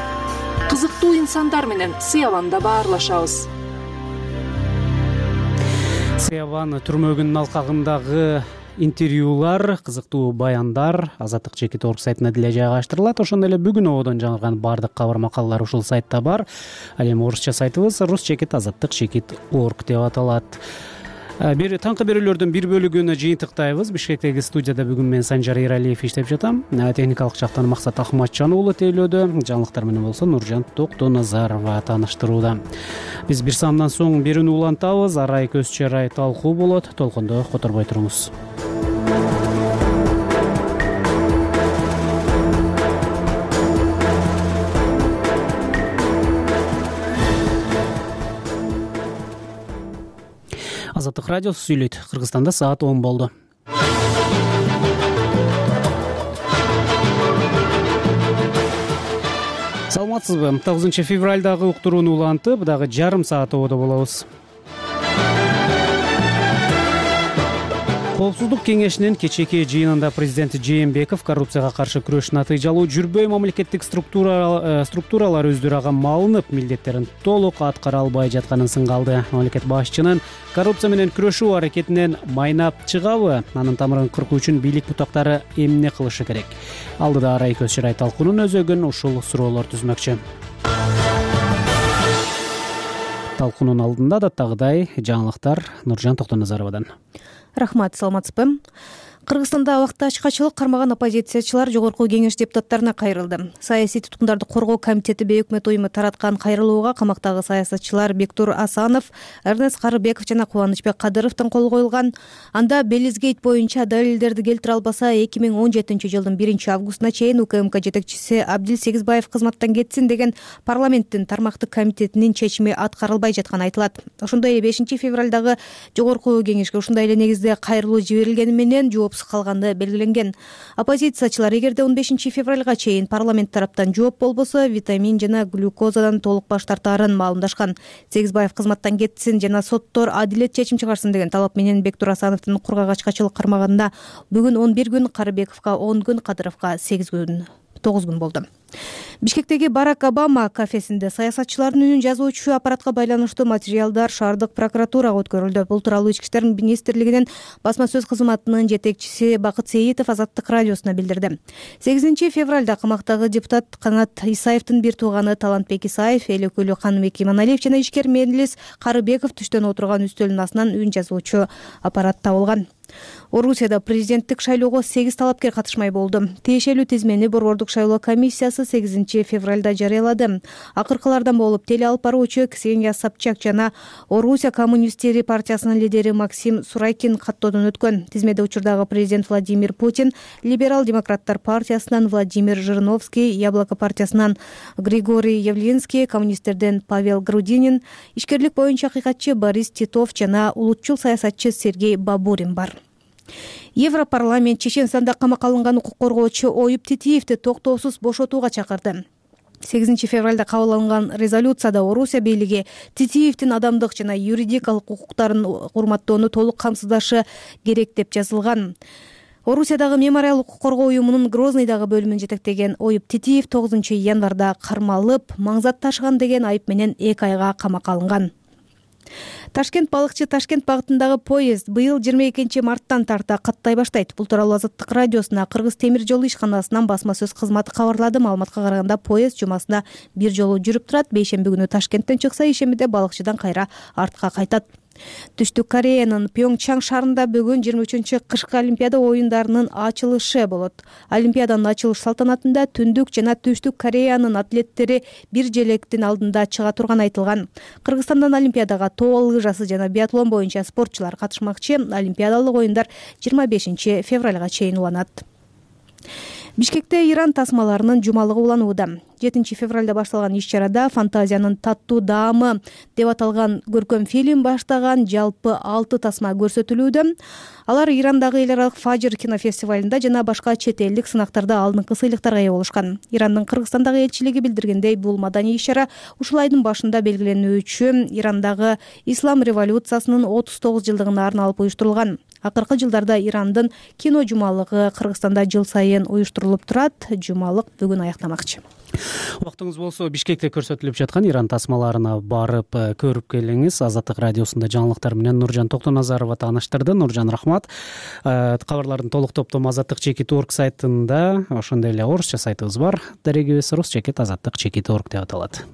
Кызыктуу инсандар менен Сыяванда баарлашабыз.
Сыяван түрмөгүнүн алкагындагы интервьюлар, кызыктуу баяндар Азаттык Чекит орг сайтына деле жайгаштырылат. Ошондой эле бүгүн ободон жаңырган баардык кабар макалалар ушул сайтта бар. Ал эми орусча сайтыбыз Рус Чекит Азаттык Чекит орг деп аталат. Бир таңкы берүүлөрдүн бир бөлүгүнө жыйынтыктайбыз. Бишкектеги студияда бүгүн мен Санжар Эралиев иштеп жатам. Техникалык жактан Максат Ахматжан уулу тейлөөдө, жаңылыктар менен болсо Нуржан Токтоназарова тааныштырууда. Биз бир саамдан соң берүүнү улантабыз. Арай көз чарай талкуу болот. Толкондо которбой туруңуз. Азаттык радиосу сүйлөйт. Кыргызстанда саат 10 болду. Саламатсызбы? 9 февралдагы уктурууну улантып, дагы жарым саат ободо болобуз. Коопсуздук кеңешинин кечээки жыйынында президент Жээнбеков коррупцияга каршы күрөш натыйжалуу жүрбөй, мамлекеттик структуралар өздөрү малынып, милдеттерин толук аткара албай жатканын сынга алды. Мамлекет башчынын коррупция менен күрөшүү аракетинен майнап чыгабы, анын тамырын кыркуу үчүн бийлик бутактары эмне кылышы керек? Алдыда Арай көз чарай талкуунун өзөгүн ушул суроолор түзмөкчү. Талкуунун алдында даттагыдай жаңылыктар Нуржан Токтоназаровадан.
Рахмат, саламатсызбы? Кыргызстанда убакта ачкачылык кармаган оппозициячылар Жогорку кеңеш депутаттарына кайрылды. Саясий туткундарды коргоо комитети Бейөкмөт уюму тараткан кайрылууга камактагы саясатчылар Бектур Асанов, Эрнест Карыбеков жана Кубанычбек Кадыровдун колу коюлган. Анда Белизгейт боюнча далилдерди келтире албаса 2017 жылдын 1-августуна чейин УКМК жетекчиси Абдил Сегизбаев кызматтан кетсин деген парламенттин тармактык комитетинин чечими аткарылбай жатканы айтылат. Ошондой 5 февралдагы Жогорку кеңешке ушундай эле негизде кайрылуу жиберилгени менен калганы белгиленген. Оппозициячылар эгерде 15 февралга чейин парламент тараптан жооп болбосо, витамин жана глюкозадан толук баш тартаарын маалымдашкан. Сегизбаев кызматтан кетсин жана соттор адилет чечим чыгарсын деген талап менен Бектур Асановдун кургак ачкачылык кармагында бүгүн 11 күн, Карыбековго 10 күн, Кадыровго 8 күн, 9 күн болду. Бишкектеги Барак Обама кафесинде саясатчылардын үнүн жазуучу аппаратка байланыштуу материалдар шаардык прокуратурага өткөрүлдү. Бул тууралуу Ички иштер министрлигинин басма сөз кызматынын жетекчиси Бакыт Сейитов Азаттык радиосуна билдирди. 8 февралда камактагы депутат Канат Исаевдин бир тууганы Талантбек Исаев, эл өкүлү Каныбек Иманалиев жана ишкер Мелис Карыбеков түштөн отурган үстөлдүн астынан үн жазуучу аппарат табылган. Орусияда президенттик шайлоого 8 талапкер катышмай болду. Тиешелүү тизмени Борбордук шайлоо комиссиясы 8 февралда жарыялады. Акыркылардан болуп теле алып баруучу Ксения Собчак жана Орусия коммунисттери партиясынын лидери Максим Сурайкин каттоодон өткөн. Тизмеде учурдагы президент Владимир Путин, либерал-демократтар партиясынан Владимир Жириновский, Яблоко партиясынан Григорий Явлинский, коммунисттерден Павел Грудинин, ишкерлик боюнча акыйкатчы Борис Титов жана улутчул саясатчы Сергей Бабурин бар. Европарламент Чеченстанда камакка алынган укук коргоочу Оюп Титиевди токтоосуз бошотууга чакырды. 8 февралда кабыл алынган резолюцияда Орусия бийлиги Титиевдин адамдык жана юридикалык укуктарын урматтоону толук камсыздашы керек деп жазылган. Орусиядагы мемориал укук коргоо уюмунун Грозныйдагы бөлүмүн жетектеген Оюп Титиев 9 январда кармалып, маңзат ташыган деген айып менен 2 айга камакка алынган. Ташкент балыкчы Ташкент багытындагы поезд быйыл 22 марттан тарта каттай баштайт. Бул тууралуу Азаттык радиосуна Кыргыз темир жолу ишканасынан басма сөз кызматы кабарлады. Маалыматка караганда поезд жумасына бир жолу жүрүп турат. Бейшемби күнү Ташкенттен чыкса, ишембиде балыкчыдан кайра артка кайтат. Түштүк Кореянын Пьонгчан шаарында бүгүн 23 кышкы Олимпиада оюндарынын ачылышы болот. Олимпиаданын ачылыш салтанатында Түндүк жана Түштүк Кореянын атлеттери бир желектин алдында чыга турганы айтылган. Кыргызстандан Олимпиадага тоо лыжасы жана биатлон боюнча спортчулар катышмакчы. Олимпиадалык оюндар 25 февралга чейин уланат. Бишкекте Иран тасмаларынын жумалыгы уланууда. 7 февралда башталган иш-чарада фантазиянын таттуу даамы деп аталган көркөм фильм баштаган жалпы 6 тасма көрсөтүлүүдө. Алар Ирандагы эл аралык Фажр кинофестивалында жана башка чет элдик сынактарда алдыңкы сыйлыктарга ээ болушкан. Ирандын Кыргызстандагы элчилиги билдиргендей, бул маданий иш-чара ушул айдын башында белгиленүүчү Ирандагы ислам революциясынын 39 жылдыгына арналып уюштурулган. Акыркы жылдарда Ирандын кино жумалыгы Кыргызстанда жыл сайын уюштурулуп турат. Жумалык бүгүн аяктамакчы.
Убактыңыз болсо Бишкекте көрсөтүлүп жаткан Иран тасмаларына барып көрүп келиңиз. Азаттык радиосунда жаңылыктар менен Нуржан Токтоназарова тааныштырды. Нуржан, рахмат. Кабарлардын толук топтому azattik.org сайтында, ошондой эле орусча сайтыбыз бар. Дарегибиз rus.azattik.org деп аталат.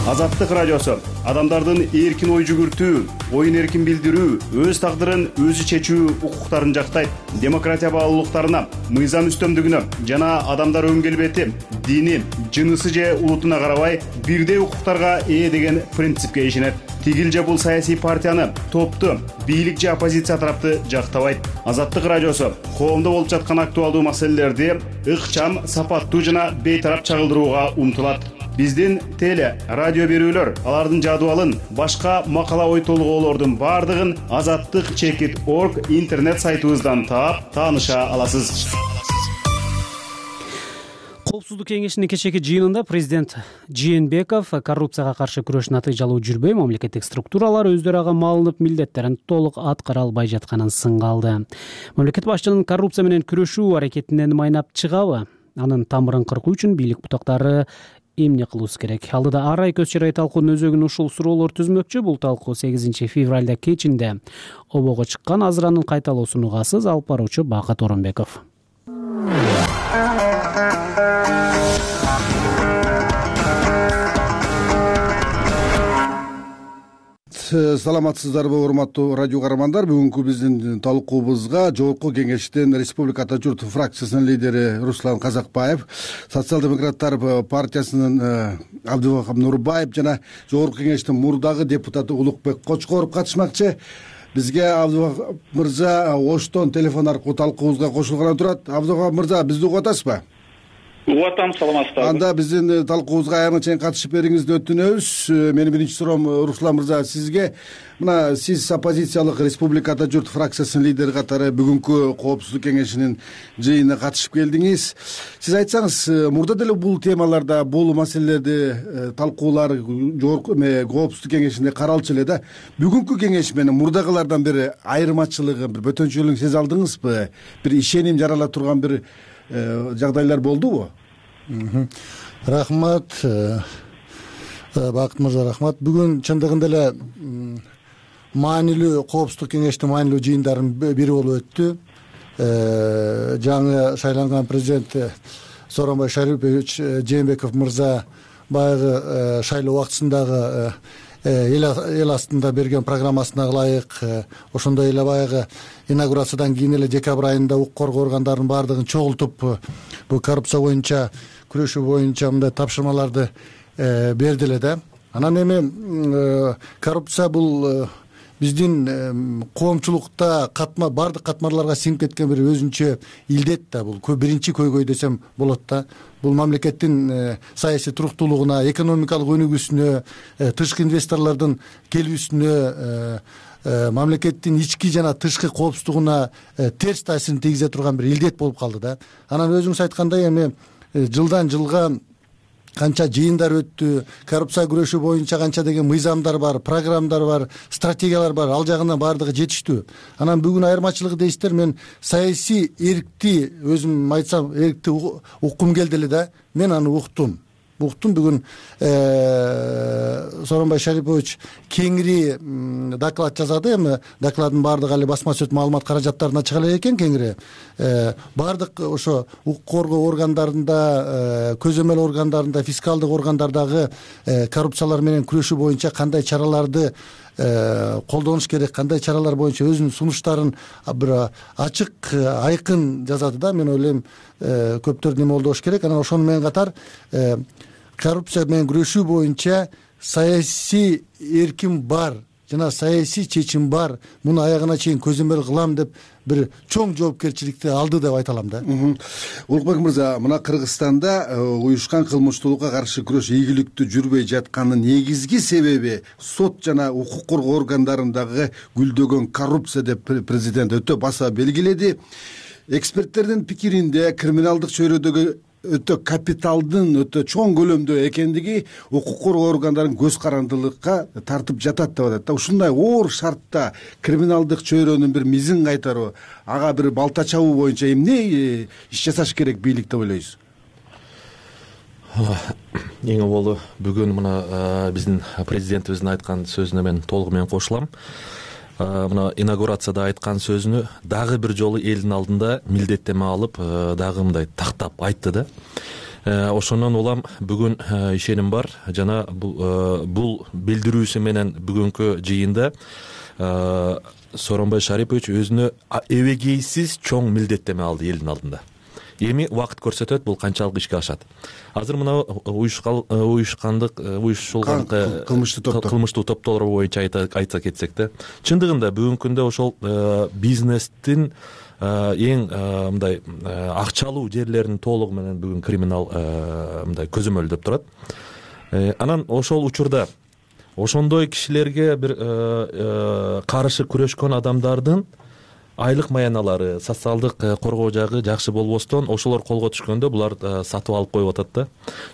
Азаттык радиосу адамдардын эркин ой жүгүртүү, оюн эркин билдирүү, өз тагдырын өзү чечүү укуктарын жактайт. Демократия баалуулуктарына, мыйзам үстөмдүгүнө жана адамдар өн келбети, дини, жынысы же улутуна карабай бирдей укуктарга ээ деген принципке ишенет. Тигил же бул саясий партияны, топту, бийлик же оппозиция тарапты жактабайт. Азаттык радиосу коомдо болуп жаткан актуалдуу маселелерди ыкчам, сапаттуу жана бейтарап чагылдырууга умтулат. Биздин теле, радио берүүлөр, алардын жадыбалын, башка макала ой толгоолордун бардыгын azattik.org интернет сайтыбыздан таап, тааныша аласыз.
Коопсуздук кеңешинин кечээки жыйынында президент Жээнбеков коррупцияга каршы күрөш натыйжалуу жүрбөй, мамлекеттик структуралар өздөрү ага малынып милдеттерин толук аткара албай жатканын сынга алды. Мамлекет башчынын коррупция менен күрөшүү аракетинен майнап чыгабы? Анын тамырын кыркуу үчүн бийлик бутактары эмне кылуусу керек? Алдыда ар ай көз чырай талкуунун өзөгүн ушул суроолор түзмөкчү. Бул талкуу 8 февралда кечинде обого чыккан. Азыр анын кайталоосун угасыз. Алып баруучу Бакыт Оронбеков.
Саламатсыздарбы, урматтуу радио каармандар. Бүгүнкү биздин талкуубузга Жогорку кеңештин Республика Ата журт фракциясынын лидери Руслан Казакбаев, социал-демократтар партиясынын Абдывахап Нурбаев жана Жогорку кеңештин мурдагы депутаты Улукбек Кочкоров катышмакчы. Бизге Абдывахап мырза Оштон телефон аркылуу талкуубузга кошулганы турат. Абдывахап мырза, бизди угуп атасызбы?
Угуп атам, саламатсыздарбы?
Анда биздин талкуубузга аягына чейин катышып бериңизди өтүнөбүз. Менин биринчи суроом Руслан мырза сизге. Мына сиз оппозициялык Республика Ата журт фракциясынын лидери катары бүгүнкү коопсуздук кеңешинин жыйынына катышып келдиңиз. Сиз айтсаңыз, мурда деле бул темаларда, бул маселелерди талкуулар жогорку коопсуздук кеңешинде каралчу эле да. Бүгүнкү кеңеш менен мурдагылардан бир айырмачылыгы, бир бөтөнчөлүгүн сезе алдыңызбы? Бир ишеним жарала турган бир жагдайлар болдубу?
Рахмат, Бакыт мырза, рахмат. Бүгүн чындыгында эле маанилүү коопсуздук кеңештин маанилүү жыйындарынын бири болуп өттү. Жаңы шайланган президент Сооронбай Шарипович Жээнбеков мырза баягы шайлоо убактысындагы эл астында берген программасына ылайык ошондой эле баягы инаугурациядан кийин эле декабрь айында укук коргоо органдарынын баардыгын чогултуп бул коррупция боюнча күрөшүү боюнча мындай тапшырмаларды берди эле да. Анан эми коррупция бул биздин коомчулукта баардык катмарларга сиңип кеткен бир өзүнчө илдет да. Бул биринчи көйгөй десем болот да. Бул мамлекеттин саясий туруктуулугуна, экономикалык өнүгүүсүнө, тышкы инвесторлордун келүүсүнө, мамлекеттин ички жана тышкы коопсуздугуна терс таасирин тийгизе турган бир илдет болуп калды да. Анан өзүңүз айткандай эми жылдан жылга канча жыйындар өттү, коррупция күрөшүү боюнча канча деген мыйзамдар бар, программдар бар, стратегиялар бар, ал жагынан баардыгы жетиштүү. Анан бүгүн айырмачылыгы дейсиздер, мен саясий эркти, өзүм айтсам, эркти уккум келди эле да. Мен аны уктум бүгүн Сооронбай Шарипович кеңири доклад жазады. Эми докладдын баардыгы али басма сөз маалымат каражаттарына чыга элек экен кеңири. Баардык ошо укук коргоо органдарында, көзөмөл органдарында, фискалдык органдардагы коррупциялар менен күрөшүү боюнча кандай чараларды колдонуш керек, кандай чаралар боюнча өзүнүн сунуштарын бир ачык, айкын жазады да. Мен ойлойм, көптөрдүн эме болдош керек. Анан ошону менен катар коррупция менен күрөшүү боюнча саясий эркин бар жана саясий чечим бар. Муну аягына чейин көзөмөл кылам деп бир чоң жоопкерчиликти алды деп айта алам да.
Улукбек мырза, мына Кыргызстанда уюшкан кылмыштуулукка каршы күрөш ийгиликтүү жүрбөй жатканынын негизги себеби сот жана укук коргоо органдарындагы гүлдөгөн коррупция деп президент өтө баса белгиледи. Эксперттердин пикиринде криминалдык чөйрөдөгү өтө капиталдын өтө чоң көлөмдө экендиги укук коргоо органдарынын көз карандылыкка тартып жатат деп атат да. Ушундай оор шартта криминалдык чөйрөнүн бир мизин кайтаруу, ага бир балта чабуу боюнча эмне иш жасаш керек бийлик деп ойлойсуз?
Эң болду бүгүн мына биздин президентибиздин айткан сөзүнө мен толугу менен кошулам. Мына инаугурацияда айткан сөзүнү дагы бир жолу элдин алдында милдеттеме алып, дагы мындай тактап айтты да. ошондон улам бүгүн ишеним бар жана бул билдирүүсү менен бүгүнкү жыйында Сооронбай Шарипович өзүнө эбегейсиз чоң милдеттеме алды элдин алдында. Эми убакыт көрсөтөт бул канчалык ишке ашат. Азыр мына уюшулган кылмыштуу топтор боюнча айта кетсек да, чындыгында бүгүнкү күндө ошол бизнестин эң мындай акчалуу жерлерин толугу менен бүгүн криминал мындай көзөмөлдөп турат. Анан ошол учурда ошондой кишилерге бир каршы күрөшкөн адамдардын айлык маяналары, социалдык коргоо жагы жакшы болбостон ошолор колго түшкөндө булар сатып алып коюп атат да.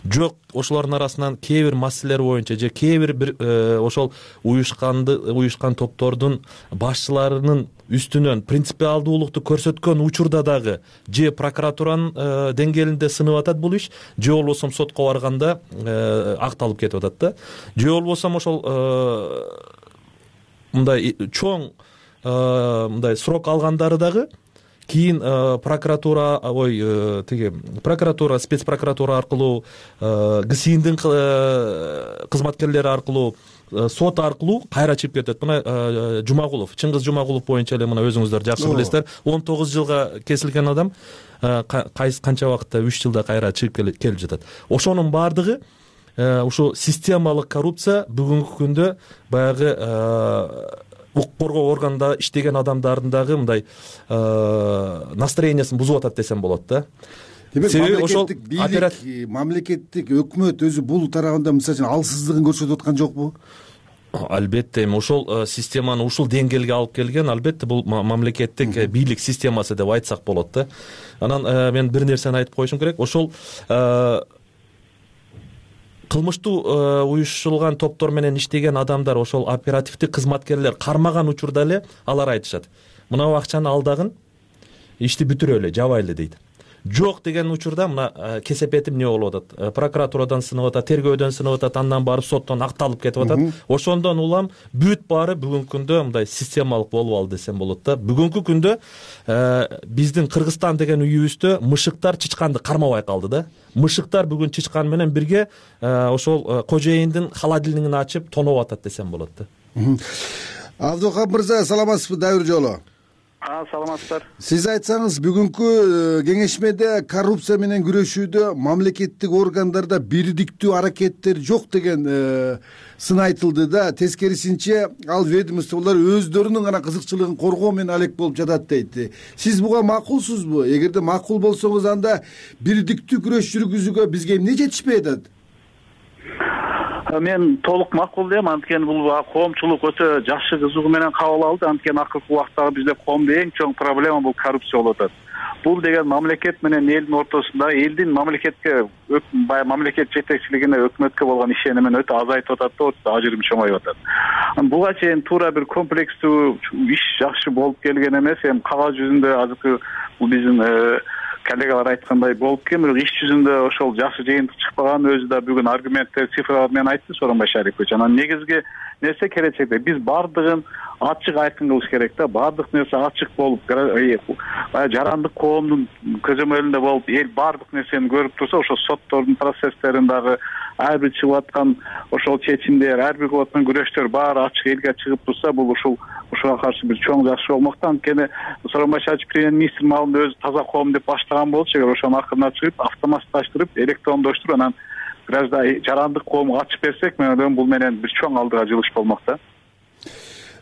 Жок, ошолордун арасынан кээ бир маселелер боюнча же кээ бир ошол уюшкан топтордун башчыларынын үстүнөн принципиалдуулукту көрсөткөн учурда дагы же прокуратуранын деңгээлинде сынып атат бул иш, же болбосо сотко барганда акталып кетип атат да. Же болбосо ошол мындай чоң мындай срок алгандары дагы кийин прокуратура спецпрокуратура аркылуу ГСИНдин кызматкерлери аркылуу сот аркылуу кайра чыгып кетет. Мына Жумагулов, Чыңгыз Жумагулов боюнча эле мына өзүңүздөр жакшы билесиздер, 19 жылга кесилген адам канча убакытта 3 жылда кайра чыгып келип жатат. Ошонун баардыгы ушу системалык коррупция бүгүнкү күндө баягы укук коргоо органында иштеген адамдардын дагы мындай настроениясын бузуп атат десем болот да.
Демек мамлекеттик бийлик, мамлекеттик өкмөт өзү бул тарабында мисалы үчүн алсыздыгын көрсөтүп аткан жокпу?
Албетте, эми ошол системаны ушул деңгээлге алып келген албетте бул мамлекеттик бийлик системасы деп айтсак болот да. Анан мен бир нерсени айтып коюшум керек. Ошол кылмыштуу уюшулган топтор менен иштеген адамдар, ошол оперативдик кызматкерлер кармаган учурда эле алар айтышат. Мына акчаны алдагын, ишти бүтүрөлү, жабайлы дейт. Жок деген учурда мына кесепетим эмне болуп атат? Прокуратурадан сынып атат, тергөөдөн сынып атат, андан барып соттон акталып кетип атат. Ошондон улам бүт баары бүгүнкү күндө мындай системалык болуп алды десем болот да. Бүгүнкү күндө биздин Кыргызстан деген үйүбүздө мышыктар чычканды кармабай калды да. Мышыктар бүгүн чычкан менен бирге ошол кожоюндун холодильнигин ачып тоноп атат десем болот да.
Абдухап мырза, саламатсызбы? Дайыр жолу.
Саламатсыздар.
Сиз айтсаңыз, бүгүнкү кеңешмеде коррупция менен күрөшүүдө мамлекеттик органдарда бирдиктүү аракеттер жок деген сын айтылды да. Тескерисинче ал ведомстволор өздөрүнүн гана кызыкчылыгын коргоо менен алек болуп жатат дейт. Сиз буга макулсузбу? Эгерде макул болсоңуз, анда бирдиктүү күрөш жүргүзүүгө бизге эмне жетишпей атат?
Мен толук макул дейм, анткени бул коомчулук өтө жакшы кызыгуу менен кабыл алды. Анткени акыркы убактагы бизде коомдо эң чоң проблема бул коррупция болуп атат. Бул деген мамлекет менен элдин ортосунда элдин мамлекетке, мамлекет жетекчилигине, өкмөткө болгон ишенимин өтө азайтып атат да, ажырым чоңоюп атат. Буга чейин туура бир комплекстүү иш жакшы болуп келген эмес. Эми кагаз жүзүндө азыркы бул биздин коллегалар айткандай болуп келген, бирок иш жүзүндө ошол жакшы жыйынтык чыкпаган, өзү да бүгүн аргументтер, цифралар менен айтты Сооронбай Шарипович. Анан негизги нерсе келечекте биз баардыгын ачык айкын кылыш керек да. Баардык нерсе ачык болуп, жарандык коомдун көзөмөлүндө болуп, эл баардык нерсени көрүп турса, ошол соттордун процесстерин дагы ар бир чыгып аткан ошол чечимдер, ар бир кылып аткан күрөштөр баары ачык элге чыгып турса, бул ушуга каршы бир чоң жакшы болмокта. Анткени Сооронбай Шарипович премьер-министр маалында өзү таза коом деп баштаган болчу. Эгер ошонун акырына чыгып, автоматташтырып, электрондоштуруп, анан жарандык коомго ачып берсек, мен ойлойм бул менен бир чоң алдыга жылыш болмокта.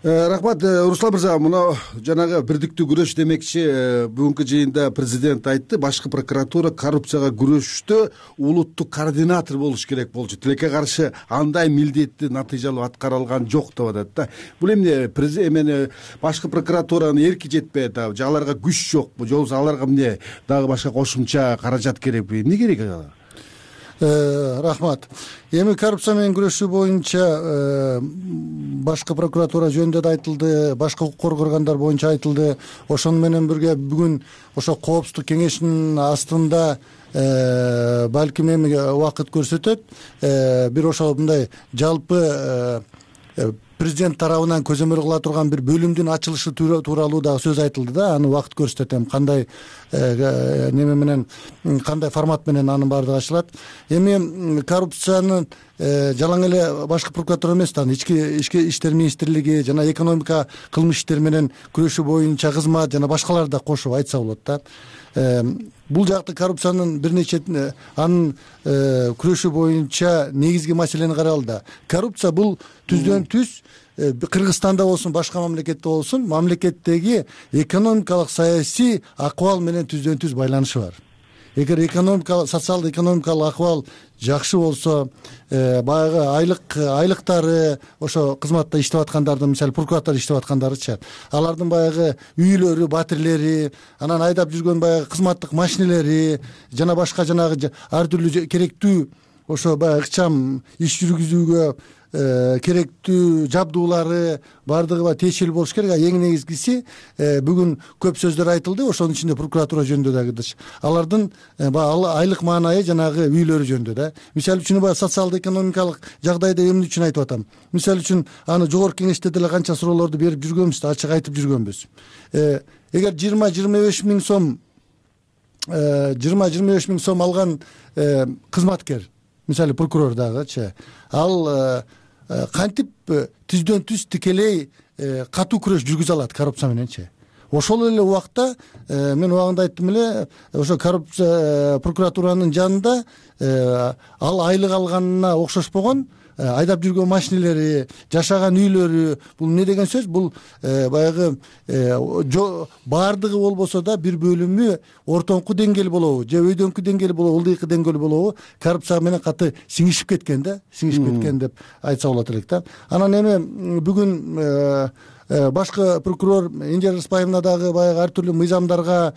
Рахмат, Руслан мырза. Мына жанагы бирдиктүү күрөш демекчи, бүгүнкү жыйында президент айтты, башкы прокуратура коррупцияга күрөштө улуттук координатор болуш керек болчу. Тилекке каршы андай милдетти натыйжалуу аткара алган жок деп атат да. Бул эмне эмне башкы прокуратуранын эрки жетпей атабы, же аларга күч жокпу, же болбосо аларга эмне дагы башка кошумча каражат керекпи? Эмне керек аларга?
Рахмат. Эми коррупция менен күрөшүү боюнча башкы прокуратура жөнүндө да айтылды, башка укук коргоо органдар боюнча айтылды. Ошону менен бирге бүгүн ошо коопсуздук кеңешинин астында балким эми убакыт көрсөтөт, бир ошо мындай жалпы президент тарабынан көзөмөл кыла турган бир бөлүмдүн ачылышы тууралуу дагы сөз айтылды да. Аны убакыт көрсөтөт, кандай неме менен, кандай формат менен анын баардыгы ачылат. Эми коррупциянын жалаң эле башкы прокуратура эмес да, ички иштер министрлиги жана экономика кылмыш иштер менен күрөшүү боюнча кызмат жана башкалар да кошуп айтса болот да. Бул жакты коррупциянын бир нече анын күрөшүү боюнча негизги маселени карайлы да. Коррупция бул түздөн түз Кыргызстанда болсун, башка мамлекетте болсун, мамлекеттеги экономикалык саясий акыбал менен түздөн түз байланышы бар. Эгер социалдык экономикалык акыбал жакшы болсо, баягы айлыктары ошо кызматта иштеп аткандардын, мисалы прокуратура иштеп аткандарычы, алардын баягы үйлөрү, батирлери, анан айдап жүргөн баягы кызматтык машинелери жана башка жанагы ар түрлүү керектүү ошо баягы ыкчам иш жүргүзүүгө керектүү жабдуулары баардыгы тиешелүү болуш керек. Эң негизгиси бүгүн көп сөздөр айтылды, ошонун ичинде прокуратура жөнүндө дагы. Алардын айлык маанайы жанагы үйлөрү жөнүндө да. Мисалы үчүн баягы социалдык экономикалык жагдайды эмне үчүн айтып атам? Мисалы үчүн аны жогорку кеңеште деле канча суроолорду берип жүргөнбүз да, ачык айтып жүргөнбүз. Эгер 20-25 миң сом 20-25 миң сом алган кызматкер, мисалы прокурор дагычы, ал кантип түздөн түз тикелей катуу күрөш жүргүзө алат коррупция мененчи? Ошол эле убакта мен убагында айттым эле, ошо коррупция прокуратуранын жанында ал айлык алганына окшошпогон айдап жүргөн машинелери, жашаган үйлөрү, бул эмне деген сөз? Бул баягы баардыгы болбосо да бир бөлүмү ортоңку деңгээл болобу, же өйдөңкү деңгээл болобу, ылдыйкы деңгээл болобу, коррупция менен каты сиңишип кеткен да, сиңишип кеткен деп айтса болот элек да. Анан эми бүгүн башкы прокурор Энжер Рыспаевна дагы баягы ар түрдүү мыйзамдарга,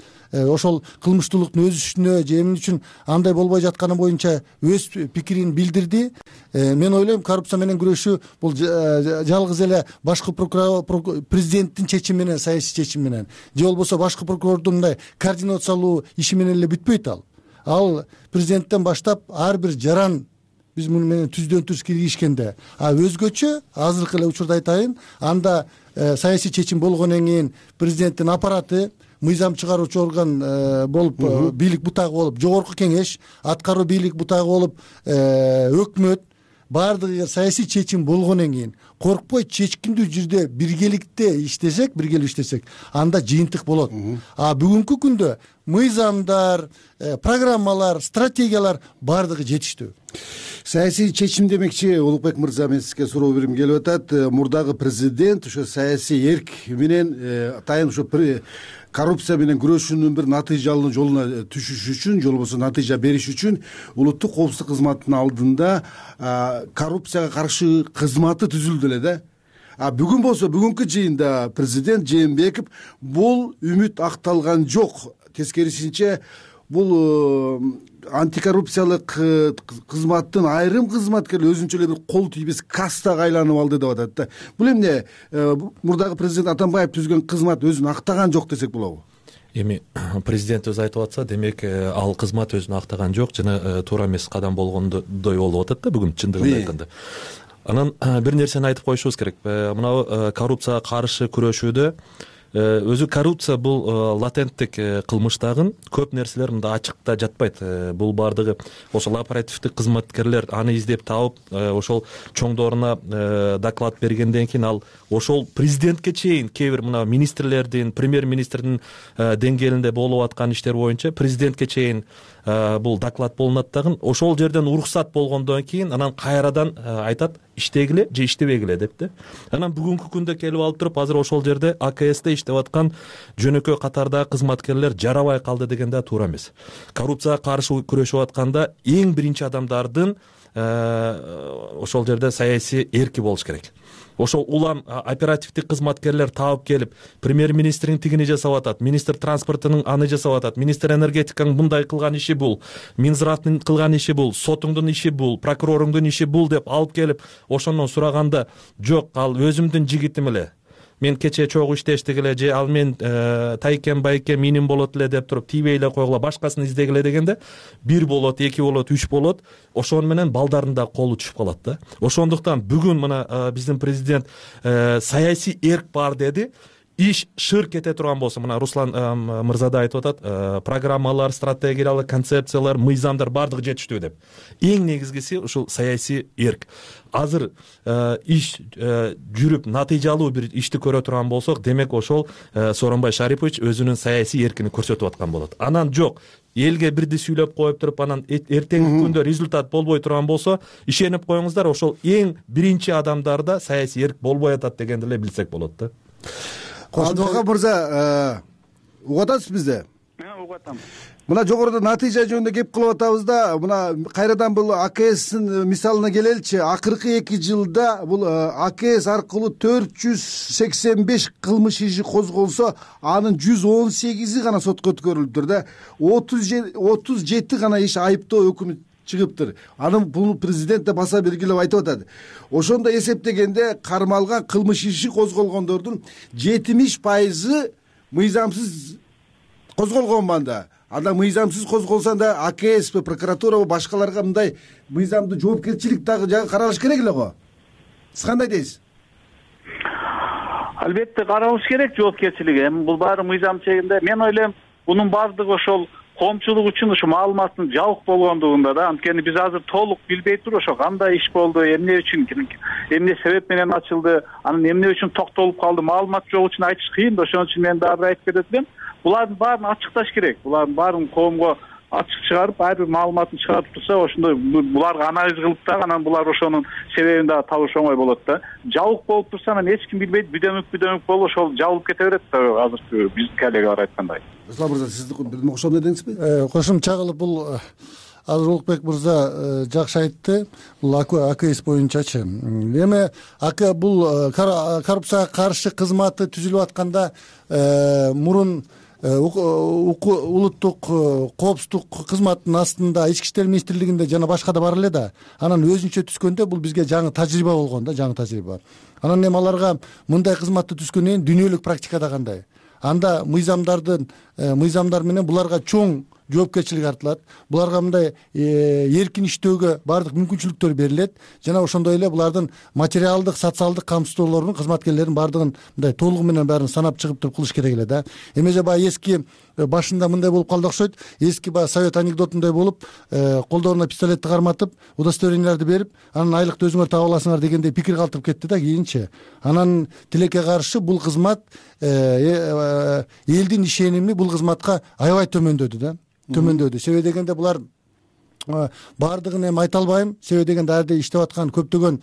ошол кылмыштуулуктун өсүшүнө же эмне үчүн андай болбой жатканы боюнча өз пикирин билдирди. Мен ойлойм, коррупция менен күрөшүү бул жалгыз эле башкы президенттин чечими менен, саясий чечими менен, же болбосо башкы прокурордун мындай координациялуу иши менен эле бүтпөйт ал. Ал президенттен баштап ар бир жаран биз муну менен түздөн түз киргишкенде, өзгөчө азыркы эле учурда айтайын, анда саясий чечим болгондон кийин президенттин аппараты, мыйзам чыгаруучу орган болуп, бийлик бутагы болуп, жогорку кеңеш, аткаруу бийлик бутагы болуп, өкмөт баардыгы саясий чечим болгондон кийин коркпой чечкиндүү жерде биргеликте иштесек, анда жыйынтык болот. Бүгүнкү күндө мыйзамдар, программалар, стратегиялар баардыгы жетиштүү.
Саясий чечим демекчи, Улукбек мырза, мен сизге суроо берим келип атат. Мурдагы президент ошо саясий эрк менен атайын ошо коррупция менен күрөшүүнүн бир натыйжалуу жолуна түшүш үчүн, же болбосо натыйжа бериш үчүн улуттук коопсуздук кызматынын алдында коррупцияга каршы кызматы түзүлдү эле да. Бүгүн болсо, бүгүнкү жыйында президент Жээнбеков бул үмүт акталган жок. Тескерисинче, бул антикоррупциялык кызматтын айрым кызматкерлер өзүнчө эле бир кол тийбес кастага айланып алды деп атат да. Бул эмне мурдагы президент Атамбаев түзгөн кызмат өзүн актаган жок десек болобу?
Эми президент өзү айтып атса, демек ал кызмат өзүн актаган жок жана туура эмес кадам болгондой болуп атат да бүгүн, чындыгын айтканда. Анан бир нерсени айтып коюшубуз керек. Мына коррупцияга каршы күрөшүүдө өзү коррупция бул латенттик кылмыш дагы, көп нерселер мында ачыкта жатпайт. Бул баардыгы ошол оперативдик кызматкерлер аны издеп таап, ошол чоңдоруна доклад бергенден кийин ал ошол президентке чейин кээ бир мына министрлердин, премьер-министрдин деңгээлинде болуп аткан иштер боюнча президентке чейин бул доклад болунат дагы, ошол жерден уруксат болгондон кийин анан кайрадан айтат иштегиле же иштебегиле деп да. Анан бүгүнкү күндө келип алып туруп, азыр ошол жерде АКСте иштеп аткан жөнөкөй катардагы кызматкерлер жарабай калды деген да туура эмес. Коррупцияга каршы күрөшүп атканда эң биринчи адамдардын ошол жерде саясий эрки болуш керек. Ошол улам оперативдик кызматкерлер таап келип, премьер-министрдин тигини жасап атат, министр транспортунун аны жасап атат, министр энергетиканын мындай кылган иши бул, Минзраттын кылган иши бул, сотуңдун иши бул, прокуроруңдун иши бул деп алып келип, ошондон сураганда, жок, ал өзүмдүн жигитим эле, мен кечээ чогуу иштештик эле же ал мен тайкем байке менин болот эле деп туруп тийбей эле койгула, башкасын издегиле дегенде 1 болот, 2 болот, 3 болот, ошону менен балдардын да колу түшүп калат да. Ошондуктан бүгүн мына биздин президент саясий эрк бар деди. Иш шыр кете турган болсо, мына Руслан мырза да айтып атат, программалар, стратегиялар, концепциялар, мыйзамдар бардыгы жетиштүү деп. Эң негизгиси ушул саясий эрк. Азыр иш жүрүп натыйжалуу бир ишти көрө турган болсок, демек ошол Сооронбай Шарипович өзүнүн саясий эркини көрсөтүп аткан болот. Анан жок, элге бирди сүйлөп коюп туруп, анан эртеңки күндө результат болбой турган болсо, ишенип коюңуздар, ошол эң биринчи адамдарда саясий эрк болбой атат дегенди эле билсек болот да.
Адвокат мырза, угуп атасыз бизди?
Мен угуп атам.
Мына жогоруда натыйжа жөнүндө кеп кылып атабыз да, мына кайрадан бул АКСтин мисалына келеличи. Акыркы 2 жылда бул АКС аркылуу 485 кылмыш иши козголсо, анын 118и гана сотко өткөрүлүптүр да. 37 гана иш айыптоо өкүмү чыгыптыр. Анын бул президент да баса белгилеп айтып атат. Ошондо эсептегенде кармалган кылмыш иши козголгондордун 70% мыйзамсыз козголгон манда. Анда мыйзамсыз козголсо да АКС, прокуратура, башкаларга мындай мыйзамдуу жоопкерчилик дагы каралыш керек эле го. Сиз кандай дейсиз?
Албетте каралыш керек жоопкерчилик. Эми бул баары мыйзам чегинде. Мен ойлойм, бунун баардыгы ошол коомчулук үчүн ушу маалыматтын жабык болгондугунда да. Анткени биз азыр толук билбей туруп ошо кандай иш болду, эмне үчүн, эмне себеп менен ачылды, анан эмне үчүн токтолуп калды, маалымат жок үчүн айтыш кыйын да. Ошон үчүн мен дагы айтып кетет элем. Булардын баарын ачыкташ керек. Булардын баарын коомго ачык чыгарып, ар бир маалыматын чыгарып турса, ошондой буларга анализ кылып дагы анан булар ошонун себебин дагы табыш оңой болот да. Жабык болуп турса, анан эч ким билбейт, бүдөмүк болуп ошол жабылып кете берет да, азыркы биздин коллега бар айткандай.
Руслан мырза, сиз кошом дедиңизби?
Кошумча кылып бул азыр Улукбек мырза жакшы айтты. Бул АКС боюнчачы. Эми бул коррупцияга каршы кызматы түзүлүп атканда мурун улуттук коопсуздук кызматынын астында Ички иштер министрлигинде жана башка да бар эле да. Анан өзүнчө түскөндө бул бизге жаңы тажрыйба болгон да, жаңы тажрыйба. Анан эми аларга мындай кызматты түзгөндөн кийин дүйнөлүк практикада кандай? Анда мыйзамдар менен буларга чоң жоопкерчилик артылат. Буларга мындай эркин иштөөгө баардык мүмкүнчүлүктөр берилет. Жана ошондой эле булардын материалдык, социалдык камсыздоолорун, кызматкерлердин баардыгын мындай толугу менен баарын санап чыгып туруп кылыш керек эле да. Эмеже баягы эски башында мындай болуп калды окшойт. Эски баягы совет анекдотундай болуп, колдоруна пистолетти карматып, удостоверенияларды берип, анан айлыкты өзүңөр таап аласыңар дегендей пикир калтырып кетти да кийинчи. Анан тилекке каршы бул кызмат элдин ишеними бул кызматка аябай төмөндөдү да. Себеби дегенде булар баардыгын эми айта албайм. Себеби дегенде ар жерде иштеп аткан көптөгөн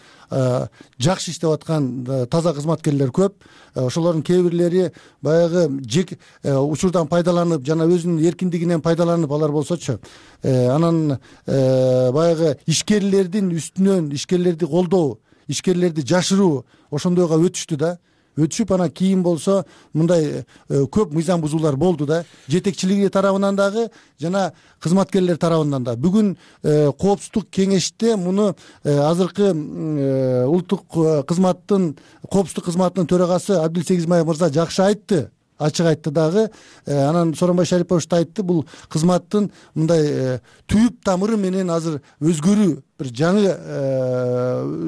жакшы иштеп аткан таза кызматкерлер көп. Ошолордун кээ бирлери баягы учурдан пайдаланып, жана өзүнүн эркиндигинен пайдаланып алар болсочу, анан баягы ишкерлердин үстүнөн ишкерлерди колдоо, ишкерлерди жашыруу ошондойго өтүштү да. Өтүшүп анан кийин болсо мындай көп мыйзам бузуулар болду да. Жетекчилиги тарабынан дагы жана кызматкерлер тарабынан да. Бүгүн коопсуздук кеңеште муну азыркы улуттук коопсуздук кызматынын төрагасы Абдил Сегизмаев мырза жакшы айтты. Ачык айтты дагы. Анан Сооронбай Шарипович да айтты, бул кызматтын мындай түп тамыры менен азыр өзгөрүү, бир жаңы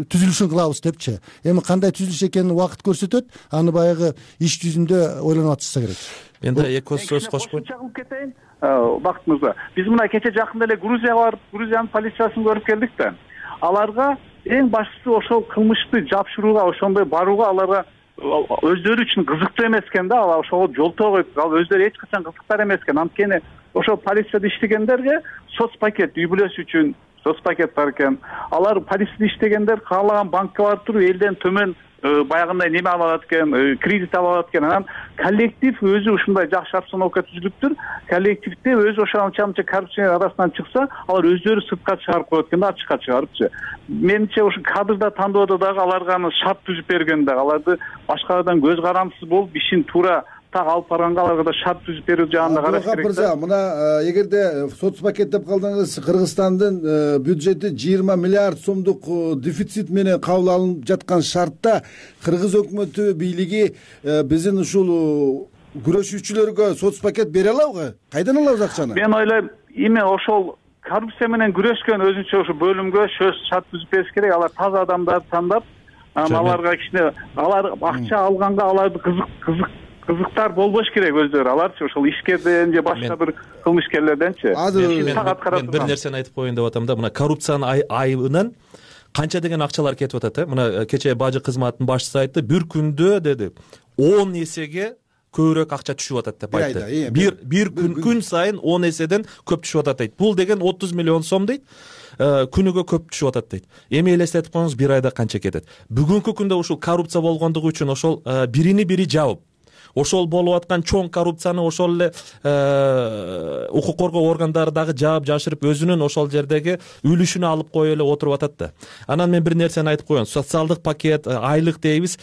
түзүлүшүн кылабыз депчи. Эми кандай түзүлүш экенин убакыт көрсөтөт. Аны баягы иш жүзүндө ойлонуп атышса керек.
Мен да эки сөз кошпойм.
Чагылып кетейин. Бакыт мырза, биз мына кече жакында эле Грузияга барып, Грузиянын полициясын көрүп келдик да. Аларга эң башкысы ошол кылмышты жапшырууга, ошондой барууга аларга өздөрү үчүн кызыктуу эмес экен да. Ал ошого жолтоо коюп, ал өздөрү эч качан кызыктар эмес экен. Анткени ошол полицияда иштегендерге соцпакет, үй бүлөсү үчүн соцпакет бар экен. Алар полицияда иштегендер каалаган банкка барып туруп элден төмөн баягындай неме ала алат экен, кредит ала алат экен. Анан коллектив өзү ушундай жакшы обстановка түзүлүптүр. Коллективде өзү ошонча коррупциянын арасынан чыкса, алар өздөрү сыртка чыгарып коет экен да, ачыкка чыгарыпчы. Менимче ушу кадрда тандоодо дагы аларга шарт түзүп берген дагы, аларды башкалардан көз карамсыз болуп ишин туура так алып барганга аларга да шарт түзүп берүү жагын да караш керек.
мырза, мына эгерде соцпакет деп калдыңыз, Кыргызстандын бюджети 20 миллиард сомдук дефицит менен кабыл алынып жаткан шартта кыргыз өкмөтү бийлиги биздин ушул күрөшүүчүлөргө соцпакет бере алабы? Кайдан алабыз акчаны?
Мен ойлойм, эми ошол коррупция менен күрөшкөн өзүнчө ошо бөлүмгө шарт түзүп бериш керек. Алар таза адамдарды тандап, аларга кичине алар акча алганга аларды кызыктар болбош керек өздөрү. Аларчы ошол ишкерден же башка бир кылмышкерлерденчи.
Мен бир нерсени айтып коеюн деп атам да, мына коррупциянын айыбынан канча деген акчалар кетип атат. Мына кечээ бажы кызматынын башчысы айтты, бир күндө деди 10 эсеге көбүрөөк акча түшүп атат деп айтты. Бир күн сайын 10 эседен көп түшүп атат дейт. Бул деген 30 миллион сом дейт. Күнүгө көп түшүп атат дейт. Эми элестетип коюңуз, бир айда канча кетет. Бүгүнкү күндө ушул коррупция болгондугу үчүн ошол бирини бири жабып, ошол болуп аткан чоң коррупцияны ошол эле укук коргоо органдары дагы жаап жашырып, өзүнүн ошол жердеги үлүшүнү алып коюп эле отуруп атат да. Анан мен бир нерсени айтып коеюн. Социалдык пакет, айлык дейбиз.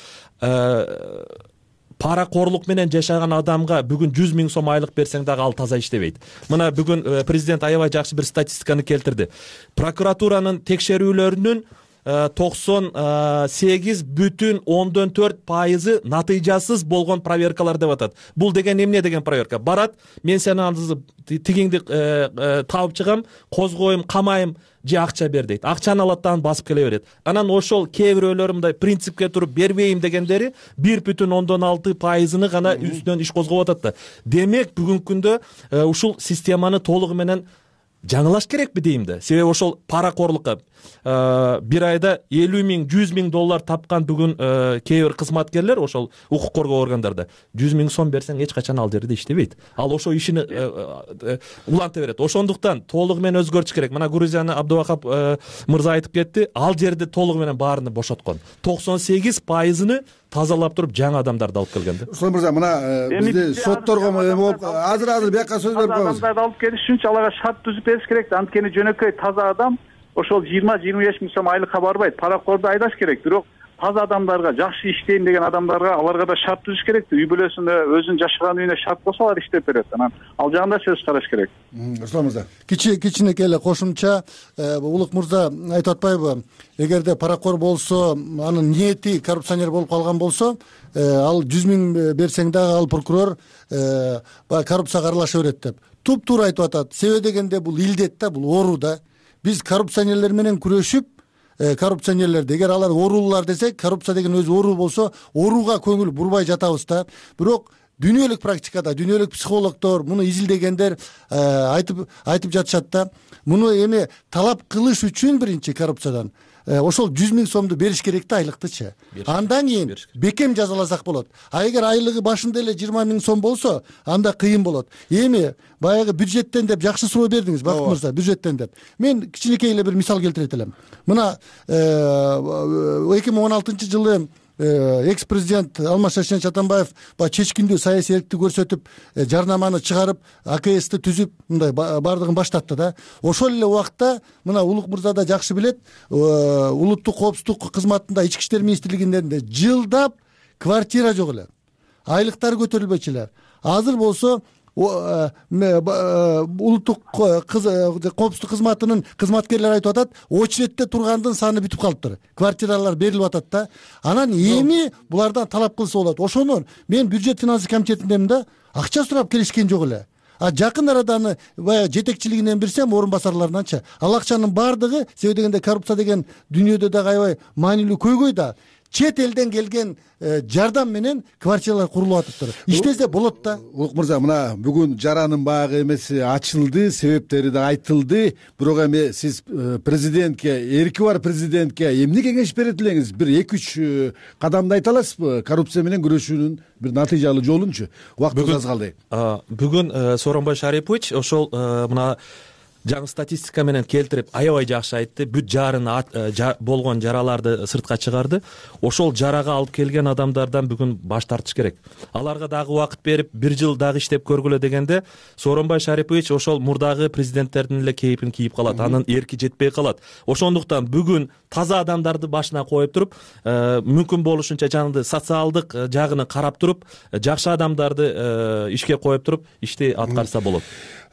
Паракорлук менен жашаган адамга бүгүн 100 000 сом айлык берсең дагы ал таза иштебейт. Мына бүгүн президент аябай жакшы бир статистиканы келтирди. Прокуратуранын текшерүүлөрүнүн 98,4% натыйжасыз болгон проверкалар деп атат. Бул деген эмне деген проверка? Барат, мен сени тигиңди табып чыгам, козгойм, камайм, же акча бер дейт. Акчаны алат да басып келе берет. Анан ошол кээ бирөөлөр мындай принципке туруп бербейм дегендери 1,6%-ны гана үстүнөн иш козгоп атат да. Демек бүгүнкү күндө ушул системаны толугу менен жаңылаш керекпи дейм да. Себеби ошол паракорлукка бир айда 50 000, 100 000 доллар тапкан бүгүн кээ бир кызматкерлер ошол укук коргоо органдарда 100 000 сом берсең эч качан ал жерде иштебейт. Ал ошо ишини уланта берет. Ошондуктан толугу менен өзгөртүш керек. Мына Грузияны Абдувахап мырза айтып кетти. Ал жерде толугу менен баарыны бошоткон. 98%-ны тазалап туруп жаңы адамдарды алып келген да.
Руслан мырза, мына бизде сотторго азыр бияка сөз берип коебуз.
Адамдарды алып келиш үчүн аларга шарт түзүп бериш керек. Анткени жөнөкөй таза адам ошол 20-25 000 сом айлыкка барбайт. Паракорду айдаш керек. Бирок таза адамдарга, жакшы иштейм деген адамдарга аларга да шарт түзүш керек. Үй бүлөсүндө өзүнүн жашаган үйүнө шарт болсо алар иштеп берет. Анан ал жагында сөз караш керек.
Руслан мырза,
кичинекей эле кошумча, Улук мырза айтып атпайбы? Эгерде паракор болсо, анын ниети коррупционер болуп калган болсо, ал 100 000 берсең дагы ал прокурор коррупцияга аралаша берет деп. Туп-туура айтып атат. Себеби дегенде бул илдет да, бул оору да. Биз коррупционерлер менен күрөшүп, коррупционерлерди эгер алар оорулуулар десек, коррупция деген өзү оору болсо, ооруга көңүл бурбай жатабыз да. Бирок дүйнөлүк практикада, дүйнөлүк психологдор, муну изилдегендер айтып жатышат да. Муну эми талап кылыш үчүн биринчи коррупциядан ошол 100 000 сомду бериш керек да, айлыктычы. Андан кийин бекем жазаласак болот. А эгер айлыгы башында эле 20 000 сом болсо, анда кыйын болот. Эми баягы бюджеттен деп жакшы суроо бердиңиз, Бакыт мырза, бюджеттен деп. Мен кичинекей эле бир мисал келтирет элем. Мына 2016-жылы экс-президент Алмаз Атамбаев чечкиндүү саясий эрктик көрсөтүп, жарнаманы чыгарып, АКСти түзүп, мындай бардыгын баштатты да. Ошол эле убакта мына Улук мырза да жакшы билет, улуттук коопсуздук кызматында, Ички иштер министрлигинде жылдап квартира жок эле. Айлыктары көтөрүлбөчү эле. Азыр болсо улуттук коопсуздук кызматынын кызматкерлери айтып атат, очередте тургандын саны бүтүп калыптыр. Квартиралар берилип атат да. Анан эми булардан талап кылса болот. Ошону мен бюджет финансы комитетиндемин да, акча сурап келишкен жок эле. Жакын арада аны баягы жетекчилигинен билсем, орун басарларынанчы. Ал акчанын бардыгы, себеби дегенде коррупция деген дүйнөдө дагы аябай маанилүү көйгөй да. Чет элден келген жардам менен квартиралар курулуп атыптыр. Иштесе болот да.
Улук мырза, мына бүгүн жаранын багы эмеси ачылды, себептери да айтылды. Бирок эми сиз президентке, эрки бар президентке эмне кеңеш берет элеңиз? Бир 2-3 кадамды айта аласызбы? Коррупция менен күрөшүүнүн бир натыйжалуу жолунчу. Убактыбыз аз калды.
Бүгүн Сооронбай Шарипович ошол мына жаңы статистика менен келтирип аябай жакшы айтты. Бүт жарын болгон жараларды сыртка чыгарды. Ошол жарага алып келген адамдардан бүгүн баш тартыш керек. Аларга дагы убакыт берип, 1 жыл дагы иштеп көргүлө дегенде Сооронбай Шарипович ошол мурдагы президенттердин эле кейпин кийип калат. Анын эрки жетпей калат. Ошондуктан бүгүн таза адамдарды башына коюп туруп, мүмкүн болушунча жанагы социалдык жагын карап туруп, жакшы адамдарды ишке коюп туруп, ишти аткарса болот.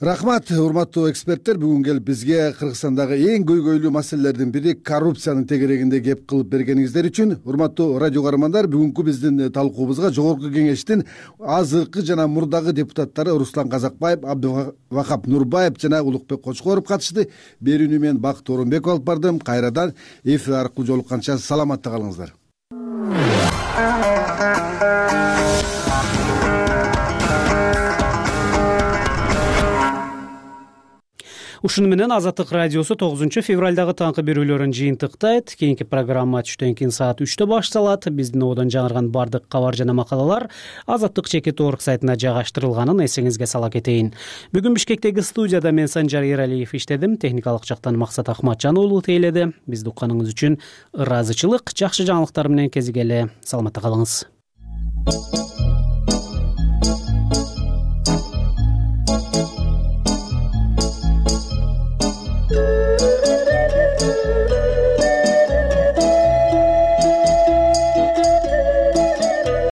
Рахмат, урматтуу эксперттер. Бүгүн келип бизге Кыргызстандагы эң көйгөйлүү маселелердин бири коррупциянын тегерегинде кеп кылып бергениңиздер үчүн. Урматтуу радио каармандар, бүгүнкү биздин талкуубузга Жогорку Кеңештин азыркы жана мурдагы депутаттары Руслан Казакбаев, Абдывахап Нурбаев жана Улукбек Кочкоров катышты. Берүүнү мен Бакыт Орунбеков алып бардым. Кайрадан эфир аркылуу жолукканча саламатта калыңыздар.
Ушуну менен Азаттык радиосу 9-февралдагы таңкы берүүлөрүн жыйынтыктайт. Кийинки программа түштөн кийин саат 3-тө башталат. Биздин одон жаңырган бардык кабар жана макалалар Азаттык.org сайтына жайгаштырылганын эсиңизге сала кетейин. Бүгүн Бишкектеги студияда мен Санжар Эралиев иштедим. Техникалык жактан Максат Ахматжан уулу тейледи. Бизди укканыңыз үчүн ыраазычылык. Жакшы жаңылыктар менен кезигели. Саламатта калыңыз.